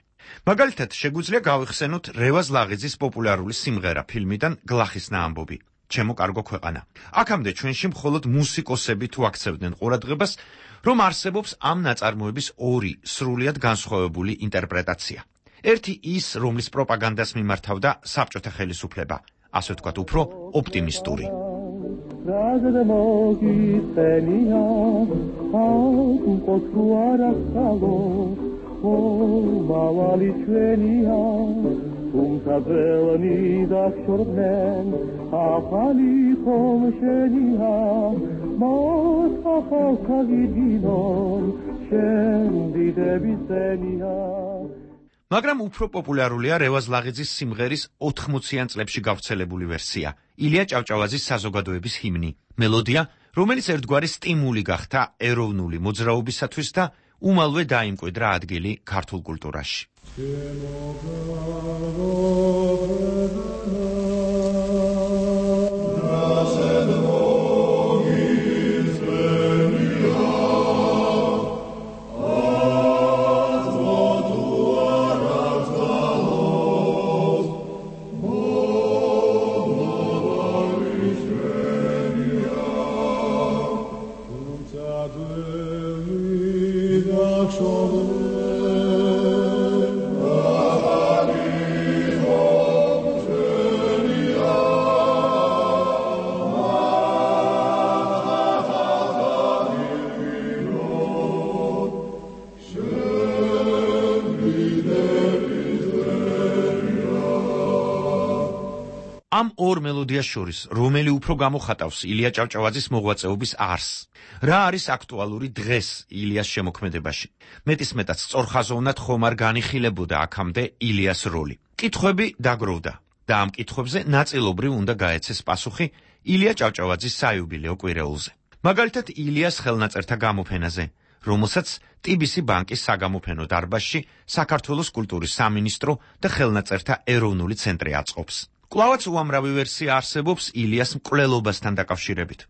მაგალითად, შეგვიძლია გავიხსენოთ რევაზ ლაღიძის პოპულარული სიმღერა ფილმიდან გლახისნა ამბობი. ჩემო კარგო ქვეყანა. აქამდე ჩვენში მხოლოდ მუსიკოსები თუ აქცევდნენ ყურადღებას, რომ არსებობს ამ ნაწარმოების ორი სრულიად განსხვავებული ინტერპრეტაცია. ერთი ის, რომლის პროპაგანდას მიმართავდა საბჭოთა ხელისუფლება, ასე ვთქვათ, უფრო ოპტიმისტური. თუმცა ძველნი დაგშორდნენ ახალი ხომშენია მას ახალ ქაგიდინონ შენ დიდების წენია. მაგრამ უფრო პოპულარულია რევაზ ლაღიძის სიმღერის 80-იან წლებში გავრცელებული ვერსია, ილია ჭავჭავაძის საზოგადოების ჰიმნი, მელოდია, რომელიც ერთგვარი სტიმული გახდა ეროვნული მოძრაობისათვის და უმალვე დაიმკვიდრა ადგილი ქართულ კულტურაში. ამ ორ მელოდიას შორის, რომელი უფრო გამოხატავს ილია ჭავჭავაძის მოღვაწეობის არსს? რა არის აქტუალური დღეს ილიას შემოქმედებაში? მეტისმეტად სწორხაზოვნად ხომ არ განიხილებოდა აქამდე ილიას როლი? კითხვები დაგროვდა და ამ კითხვებზე ნაწილობრივ უნდა გაეცეს პასუხი ილია ჭავჭავაძის საიუბილეო კვირეულზე. მაგალითად, ილიას ხელნაწერთა გამოფენაზე, რომელსაც TBC ბანკის საგამოფენო დარბაზში საქართველოს კულტურის სამინისტრო და ხელნაწერთა ეროვნული ცენტრი აწყობს. კვლავაც უამრავი ვერსია არსებობს ილიას მკვლელობასთან დაკავშირებით.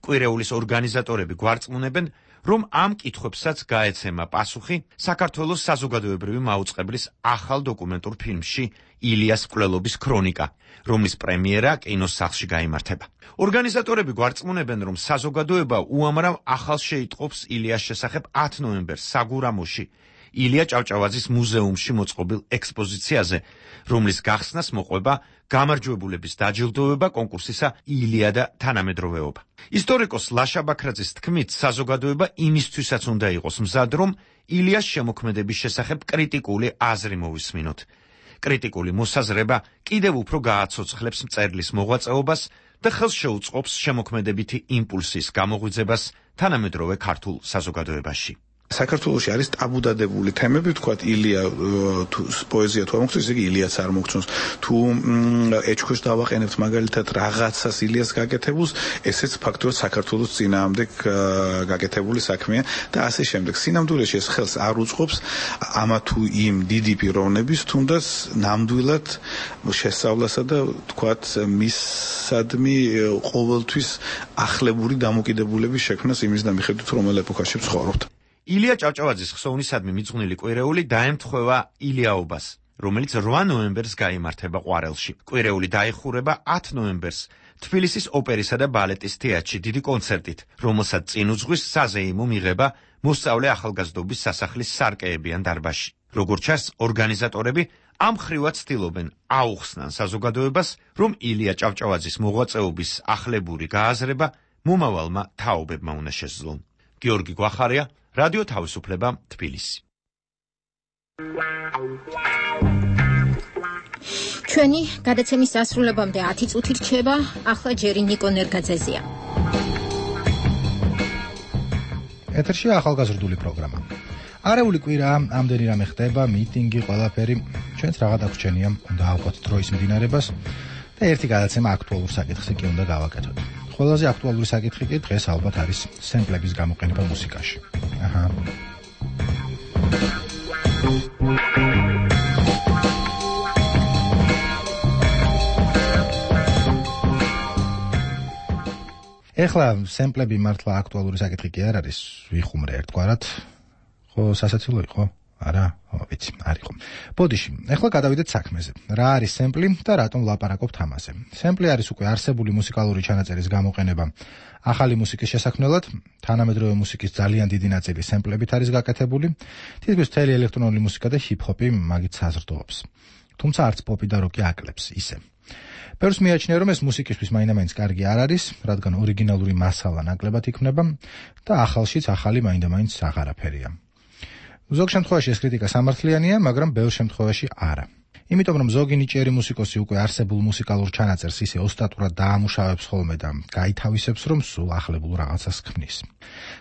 კვირეულის ორგანიზატორები გვარწმუნებენ, რომ ამ კითხვებსაც გაეცემა პასუხი საქართველოს საზოგადოებრივი მაუწყებლის ახალ დოკუმენტურ ფილმში ილიას მკვლელობის ქრონიკა, რომლის პრემიერა კინოს სახლში გაიმართება. ორგანიზატორები გვარწმუნებენ, რომ საზოგადოება უამრავ ახალს შეიტყობს ილიას შესახებ 10 ნოემბერს საგურამოში ილია ჭავჭავაძის მუზეუმში მოწყობილ ექსპოზიციაზე, რომლის გახსნას მოყვება გამარჯვებულების დაჯილდოვება კონკურსისა ილია და თანამედროვეობა. ისტორიკოს ლაშა ბაქრაძის თქმით, საზოგადოება იმისთვისაც უნდა იყოს მზად, რომ ილიას შემოქმედების შესახებ კრიტიკული აზრი მოვისმინოთ. კრიტიკული მოსაზრება კიდევ უფრო გააცოცხლებს მწერლის მოღვაწეობას და ხელს შეუწყობს შემოქმედებითი იმპულსის გამოღვიძებას თანამედროვე ქართულ საზოგადოებაში. საქართველოში არის ტაბუდადებული თემები, თქვათ ილია პოეზია თუ ამოხსნის, იგი ილიაც არ მოგწონს. თუ ეჭქვეშ დავაყენებთ მაგალითად რაღაცას ილიას გაკეთებულს, ესეც ფაქტობრივად საქართველოს წინააღმდეგ გაკეთებული საქმეა და ასე შემდეგ. სინამდვილეში ეს ხელს არ უწყობს ამა თუ იმ დიდი პიროვნების თუნდაც ნამდვილად შესწავლასა და თქვათ მისადმი ყოველთვის ახლებური დამოკიდებულების შექმნას იმის და მიხედვით რომელ ეპოქაში ვცხოვრობთ. ილია ჭავჭავაძის ხსოვნისადმი მიძღვნილი კვირეული დაემთხვევა ილიაობას, რომელიც 8 ნოემბერს გაიმართება ყვარელში. კვირეული დაიხურება 10 ნოემბერს თბილისის ოპერისა და ბალეტის თეატრში დიდი კონცერტით, რომელსაც წინ უძღვის საზეიმო მიღება მოსწავლე ახალგაზრდობის სასახლის სარკეებიან დარბაზში. როგორც ჩანს, ორგანიზატორები ამ ხრივად ცდილობენ აუხსნან საზოგადოებას, რომ ილია ჭავჭავაძის მოღვაწეობის ახლებური გააზრება მომავალმა თაობებმა უნდა შესძლონ. გიორგი გვახარია, რადიო თავისუფლება, თბილისი. ჩვენი გადაცემის დასრულებამდე 10 წუთი რჩება, ახლა ჯერი ნიკო ნერგაძეზია. ეთერშია ახალგაზრდული პროგრამა. არეული კვირა ამდენი რამე ხდება, მიტინგი, ყველაფერი. ჩვენც რაღა დაგვრჩენია, უნდა ავყოთ დროის მდინარებას და ერთი გადაცემა აქტუალურ საკითხზე კი უნდა გავაკეთოთ. ყველაზე აქტუალური საკითხი კი დღეს ალბათ არის სემპლების გამოყენება მუსიკაში. აჰა. ეხლა სემპლები მართლა აქტუალური საკითხი კი არ არის, ვიხუმრე ერთგვარად. ხო, სასაცილო იყო? არა, ვიცი, არ იყო. ბოდიში, ეხლა გადავიდეთ საქმეზე. რა არის სემპლი და რატომ ვლაპარაკობთ ამაზე? სემპლი არის უკვე არსებული მუსიკალური ჩანაწერის გამოყენება ახალი მუსიკის შესაქმნელად, თანამედროვე მუსიკის ძალიან დიდი ნაწილი სემპლებით არის გაკეთებული, თითქმის მთელი ელექტრონული მუსიკა და ჰიპ-ჰოპი მაგით საზრდოობს. თუმცა არც პოპი და როკი აკლებს ისე. ბევრს მიაჩნია, რომ ეს მუსიკისთვის მაინდა-მაინც კარგი არ არის, რადგან ორიგინალური მასალა ნაკლებად იქმნება და ახალშიც ახალი მაინდა-მაინც აღარაფერია. ზოგ შემთხვევაში ეს კრიტიკა სამართლიანია, მაგრამ ბევრ შემთხვევაში არა. იმიტომ რომ ზოგი ნიჭიერი მუსიკოსი უკვე არსებულ მუსიკალურ ჩანაწერს ისე ოსტატურად დაამუშავებს ხოლმე და გაითავისებს, რომ სულ ახლებულ რაღაცას ქმნის.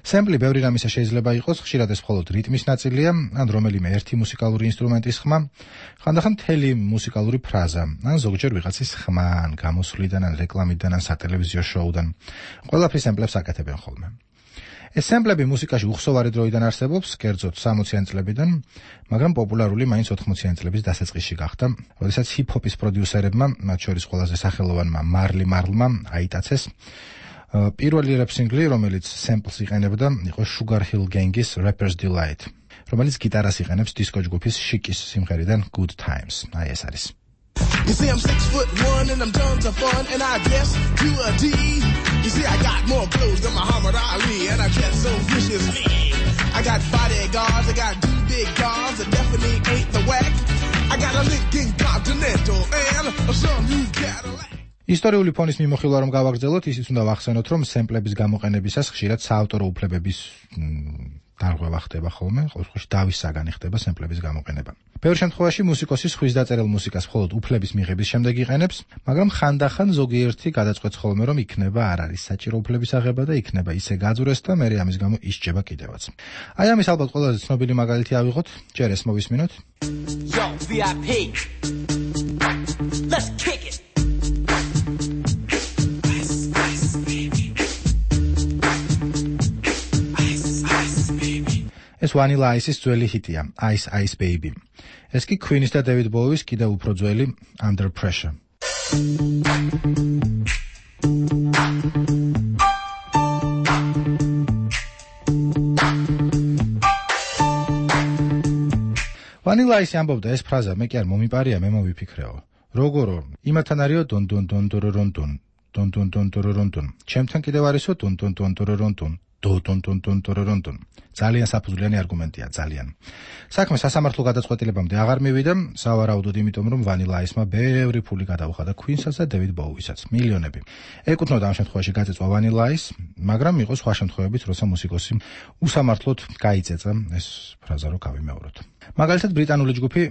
სემპლი ბევრი რამისა შეიძლება იყოს, ხშირად ეს მხოლოდ რიტმის ნაწილია, ან რომელიმე ერთი მუსიკალური ინსტრუმენტის ხმა, ხანდახან მთელი მუსიკალური ფრაზა, ან ზოგჯერ ვიღაცის ხმა, ან გამოსვლიდან, ან რეკლამიდან, ან სატელევიზიო შოუდან. ყველაფრის სემპლებს აკეთებენ ხოლმე. ეს სემპლები მუსიკაში უხსოვარი დროიდან არსებობს, კერძოდ 60-იან წლებიდან, მაგრამ პოპულარული მაინც 80-იან წლების დასაწყისში გახდა, როდესაც ჰიპ-ჰოპის პროდიუსერებმა, მათ შორის ყველაზე სახელოვანმა მარლი მარლმა აიტაცეს. პირველი რეპ სინგლი, რომელიც სემპლს იყენებდა, იყო Sugar Hill Gang-ის Rapper's Delight, რომელიც გიტარას იყენებს დისკო ჯგუფის Chic-ის სიმღერიდან Good Times. აი ეს არის. You see, I'm 6'1" and I'm tons of fun, and I guess you a D. You see, I got more clothes than Muhammad Ali, and I dress so viciously. I got bodyguards, I got 2 big guns that definitely ain't the whack. I got a Lincoln Continental and a some new Cadillac. ისტორიული ფონის მიმოხილვა რომ გავაგრძელოთ, ისიც უნდა ვახსენოთ, რომ სემპლების გამოყენებისას ხშირად საავტორო უფლებების დარღვევა ხდება ხოლმე, ყოველ შემთხვევაში დავის საგანი ხდება სემპლების გამოყენება. ბევრ შემთხვევაში მუსიკოსი სხვის დაწერილ მუსიკას მხოლოდ უფლების მიღების შემდეგ იყენებს, მაგრამ ხანდახან ზოგიერთი გადაწყვეტს ხოლმე, რომ იქნება არ არის საჭირო უფლების აღება და იქნება ისე გაძვრეს და მერე ამის გამო ისჯება კიდევაც. აი ამის ალბათ ყველაზე ცნობილი მაგალითი ავიღოთ, ჯერ ეს მოვისმინოთ. Yo, VIP. Let's kick it. ეს Vanilla Ice-ის ძველი ჰიტია, Ice Ice Baby. ეს კი Queen-ის და David Bowie-ის კიდევ უფრო ძველი Under Pressure. Vanilla Ice ამბობდა ეს ფრაზა, მე კი არ მომიპარია, მე მოვიფიქრეო. როგორო, იმათთან არისო დონ დონ დონ დორორონ დონ, დონ დონ დონ დორორონ დონ. ჩემთან კიდევ არისო დონ დონ დონ დორორონ დონ. დონ. ძალიან საფუძვლიანი არგუმენტია, ძალიან. საქმე სასამართლო გადაწყვეტილებამდე აღარ მივიდა, სავარაუდოდ იმიტომ, რომ Vanilla Ice-მა ბევრი ფული გადაუხადა Queen-საც და David Bowie-საც, მილიონები. ეკუთვნოდა ამ შემთხვევაში გაწეწვა Vanilla Ice, მაგრამ იყო სხვა შემთხვევებიც, როცა მუსიკოსი უსამართლოდ გაიწეწა ეს ფრაზა რო გავიმეოროთ. მაგალითად ბრიტანული ჯგუფი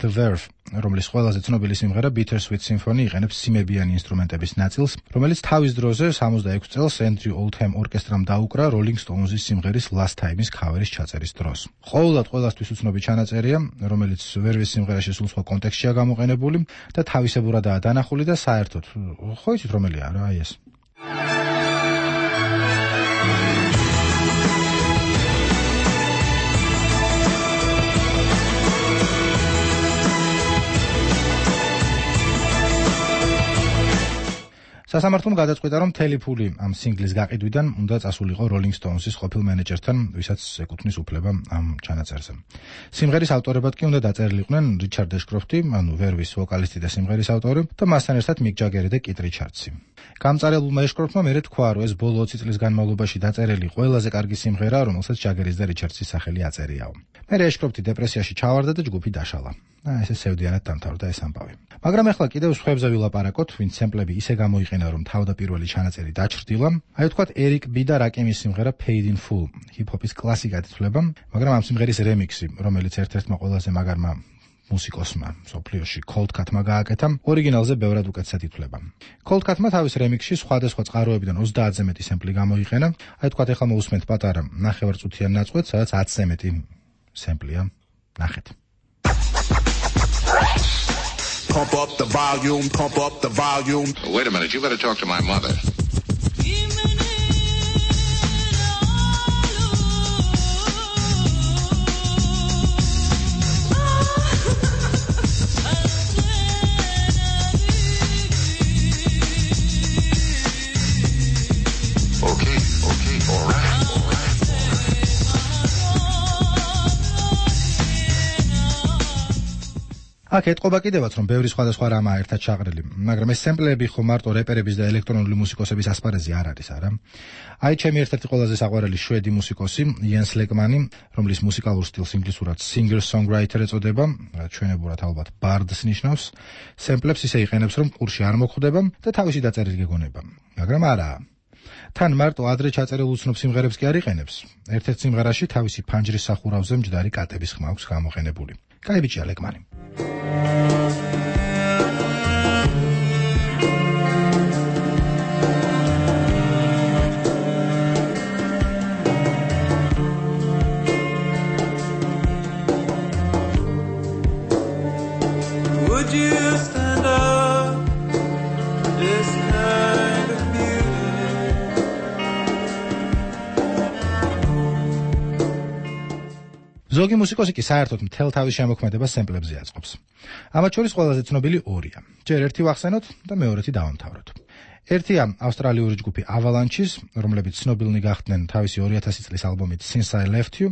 The Verve, რომლის ყველაზე ცნობილი სიმღერა Bittersweet Symphony იყენებს სიმებიანი ინსტრუმენტების ნაწილს, რომელიც თავის დროზე 66 წელს Andrew Oldham ორკესტრამ დაუკრა Rolling Stones-ის სიმღერის Last Time-ის ქავერის ჩაწერის დროს. ყოველად ყველასთვის უცნობი ჩანაწერია, რომელიც ვერვის სიმღერაში სულ სხვა კონტექსტშია გამოყენებული და თავისებურადაა დანახული და საერთოდ ხო იცით რომელია რა აი ეს. სასამართლომ გადაწყვიტა, რომ მთელი ფული ამ სინგლის გაყიდვიდან უნდა წასულიყო Rolling Stones-ის ყოფილ მენეჯერთან, ვისაც ეკუთვნის უფლება ამ ჩანაწერზე. სიმღერის ავტორებად კი უნდა დაწერილიყვნენ რიჩარდ ეშკროფტი, ანუ ვერვის ვოკალისტი და სიმღერის ავტორი, და მასთან ერთად მიკ ჯაგერი და კით რიჩარდსი. გამწარებულმა ეშკროფტმა მერე თქვა, რომ ეს ბოლო 20 წლის განმავლობაში დაწერილი ყველაზე კარგი სიმღერაა, რომელსაც ჯაგერის და რიჩარდსის სახელი აწერიაო. მერე ეშკროფტი დეპრესიაში ჩავარდა და ჯგუფი დაშალა. ესე სევდიანად დამთავრდა ეს ამბავი. მაგრამ ახლა კიდევ სხვებზე ვილაპარაკოთ, ვინც სემპლები ისე გამოიყენა, რომ თავდაპირველი ჩანაწერი დაჩრდილა. აი ვთქვათ, ერიკ ბი და რაკიმის სიმღერა Paid in Full, ჰიპ-ჰოპის კლასიკად ითვლება, მაგრამ ამ სიმღერის რემიქსი, რომელიც ერთ-ერთმა ყველაზე მაგარმა მუსიკოსმა სოფლიოში Cold Cut-მა გააკეთა, ორიგინალზე ბევრად უკეთესად ითვლება. Cold Cut-მა თავის რემიქსში სხვადასხვა წყაროებიდან 30-ზე მეტი სემპლი გამოიყენა. აი ვთქვათ, ახლა მოусმენთ პატარა ნახევარწუთიან ნაწყვეტს, სადაც 10-ზე მეტი სემპლია. ნახეთ. Pump up the volume, pump up the volume. Wait a minute, you better talk to my mother. Okay, all right. აქ ეთყობა კიდევაც, რომ ბევრი სხვადასხვა რამაა ერთად ჩაყრილი, მაგრამ ეს სემპლები ხო მარტო რეპერების და ელექტრონული მუსიკოსების ასპარეზი არ არის, არა? აი ჩემი ერთ-ერთი ყველაზე საყვარელი შვედი მუსიკოსი, იენს ლეკმანი, რომლის მუსიკალურ სტილს ინგლისურად singer-songwriter ეწოდება, რაც ჩვენებურად ალბათ bard-ს ნიშნავს, სემპლებს ისე იყენებს, რომ ყურში არ მოხვდება და თავისი დაწერილი გეგონება. მაგრამ არა. თან მარტო ადრე ჩაწერილ უცნობ სიმღერებს კი არ იყენებს. ერთ-ერთ სიმღერაში თავისი ფანჯრის სახურავზე მჯდარი კატების ხმა აქვს გამოყენებული. კაი ბიჭია ლეკმანი. Would you stand up this kind of beauty? ზოგი მუსიკოსი კი საერთოდ მთელ თავის შემოქმედებას სემპლებზე აწყობს. ამათ შორის ყველაზე ცნობილი ორია. ჯერ ერთი ვახსენოთ და მეორეთი დავამთავროთ. ერთია ავსტრალიური ჯგუფი Avalanche-ის, რომლებიც ცნობილნი გახდნენ თავისი 2000 წლის ალბომით Since I Left You.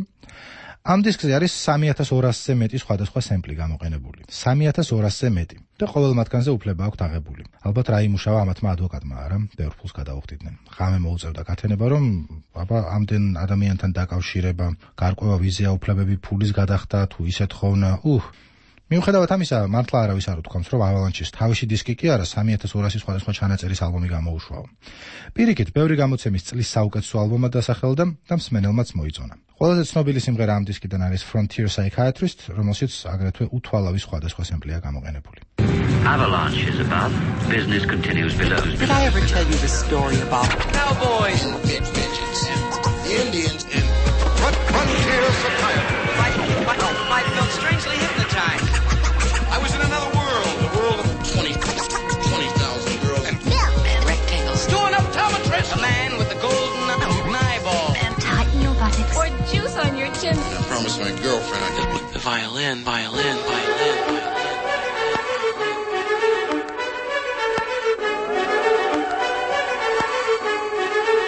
ამ დისკზე არის 3200-ზე მეტი სხვადასხვა სემპლი გამოყენებული. 3200-ზე მეტი. და ყოველ მათგანზე უფლება აქვთ აღებული. ალბათ რა იმუშავა ამათმა ადვოკატმა, არა? ბევრ ფულს გადაუხდიდნენ. ღამე მოუწევდა გათენება, რომ ამდენ ადამიანთან დაკავშირება, გარკვევა ვიზია უფლებები ფულის გადახდა, თუ ისე თხოვნა. მიუხედავად ამისა, მართლა არავის არ უთქვამს, რომ Avalanche-ის თავისი დისკი კი არა 3200 სხვადასხვა ჩანაწერის ალბომი გამოუშვაო. პირიქით, ბევრი გამოცემის წლის საუკეთესო ალბომად დასახელდა და მსმენელმაც მოიწონა. ყველაზე ცნობილი სიმღერა ამ დისკიდან არის Frontier Psychiatrist, რომელშიც აგრეთვე უთვალავი სხვადასხვა სემპლია გამოყენებული. Avalanche is above, business continues below. Did I ever tell you the story about Cowboys, midgets, Indians, and Frontier Psychiatrist? I felt strangely hypnotized. I was in another world, the world of 20,000 girls and rectangles. doing optometrist. A man with a golden eyeball. And tighten your buttocks. Or juice on your chin. I promised my girlfriend I'd just The violin.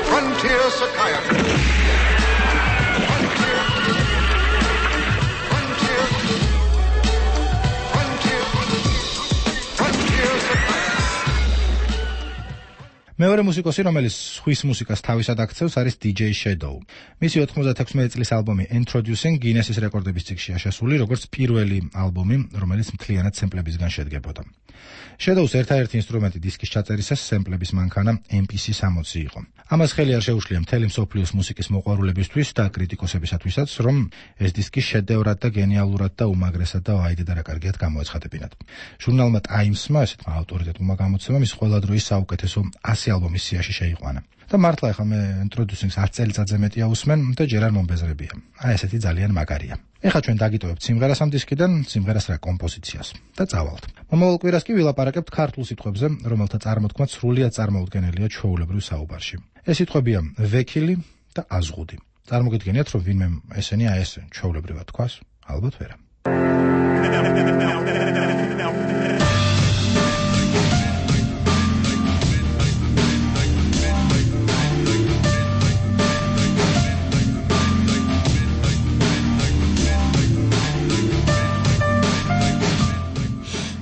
Frontier Psychiatrist. მეორე მუსიკოსი, რომელიც ხვის მუსიკას თავისად აქცევს, არის DJ Shadow. მისი 96 წლის ალბომი Introducing Guinness-ის რეკორდების წიგნშია შესული, როგორც პირველი ალბომი, რომელიც მთლიანად სემპლებისგან შედგებოდა. Shadow-ს ერთადერთი ინსტრუმენტი დისკის ჩაწერისას სემპლების მანქანა MPC-60 იყო. ამას ხელი არ შეუშლია მთელი მსოფლიოს მუსიკის მოყვარულებისთვის და კრიტიკოსებისათვისაც, რომ ეს დისკი შედევრად და გენიალურად და უმაგრესად და ვაიდე და რა კარგიად გამოეცხადებინათ. ჟურნალმა Times-მა, ესეთმა ავტორიტეტულმა გამოცემამ, ის ყველა დროის საუკეთესო 100 ალბომის სიაში შეიყვანა. და მართლა ახლა მე introducing 10 წელიწადზე მეტია უსმენ და ჯერ არ მომბეზრებია. აი ესეთი ძალიან მაგარია. ეხლა ჩვენ დაგიტოვებთ სიმღერას ამ დისკიდან, სიმღერას რა კომპოზიციას და წავალთ. მომავალ კვირას კი ვილაპარაკებთ ქართულ სიტყვებზე, რომელთა წარმოთქმა სრულიად წარმოუდგენელია ჩვეულებრივ საუბარში. ეს სიტყვებია ვექილი და აზღუდი. წარმოგიდგენიათ, რომ ვინმე ესენი აი ეს ჩვეულებრივად თქვას? ალბათ ვერა.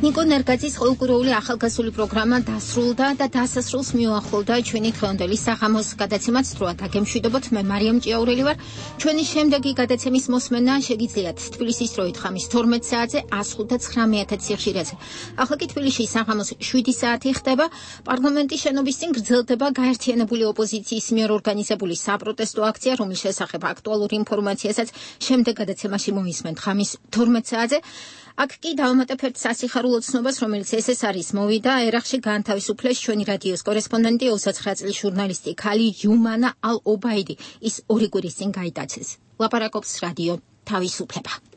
ნიკო ნერგაძის ყოველკვირეული ახალგაზრდული პროგრამა დასრულდა და დასასრულს მიუახლოვდა ჩვენი დღევანდელი საღამოს გადაცემაც დროა დაგემშვიდობოთ. მე მარიამ ჭიაურელი ვარ. ჩვენი შემდეგი გადაცემის მოსმენა შეგიძლიათ თბილისის დროით ხამის 12 საათზე 105.9 სიხშირეზე. ახლა კი თბილისში საღამოს 7 საათი ხდება. პარლამენტის შენობის წინ გრძელდება გაერთიანებული ოპოზიციის მიერ ორგანიზებული საპროტესტო აქცია, რომლის შესახებ აქტუალურ ინფორმაციასაც შემდეგ გადაცემაში მოისმენთ ხამის 12 საათზე. აქ კი დავამატებთ სასიხარულო ცნობას, რომელიც ეს არის მოვიდა ერახში განთავისუფლეს ჩვენი რადიოს კორესპონდენტი 29 წლის ჟურნალისტი ქალი იუმანა ალ-ობაიდი. ის 2 კვირის წინ გაიტაცეს. ლაპარაკობს რადიო თავისუფლება.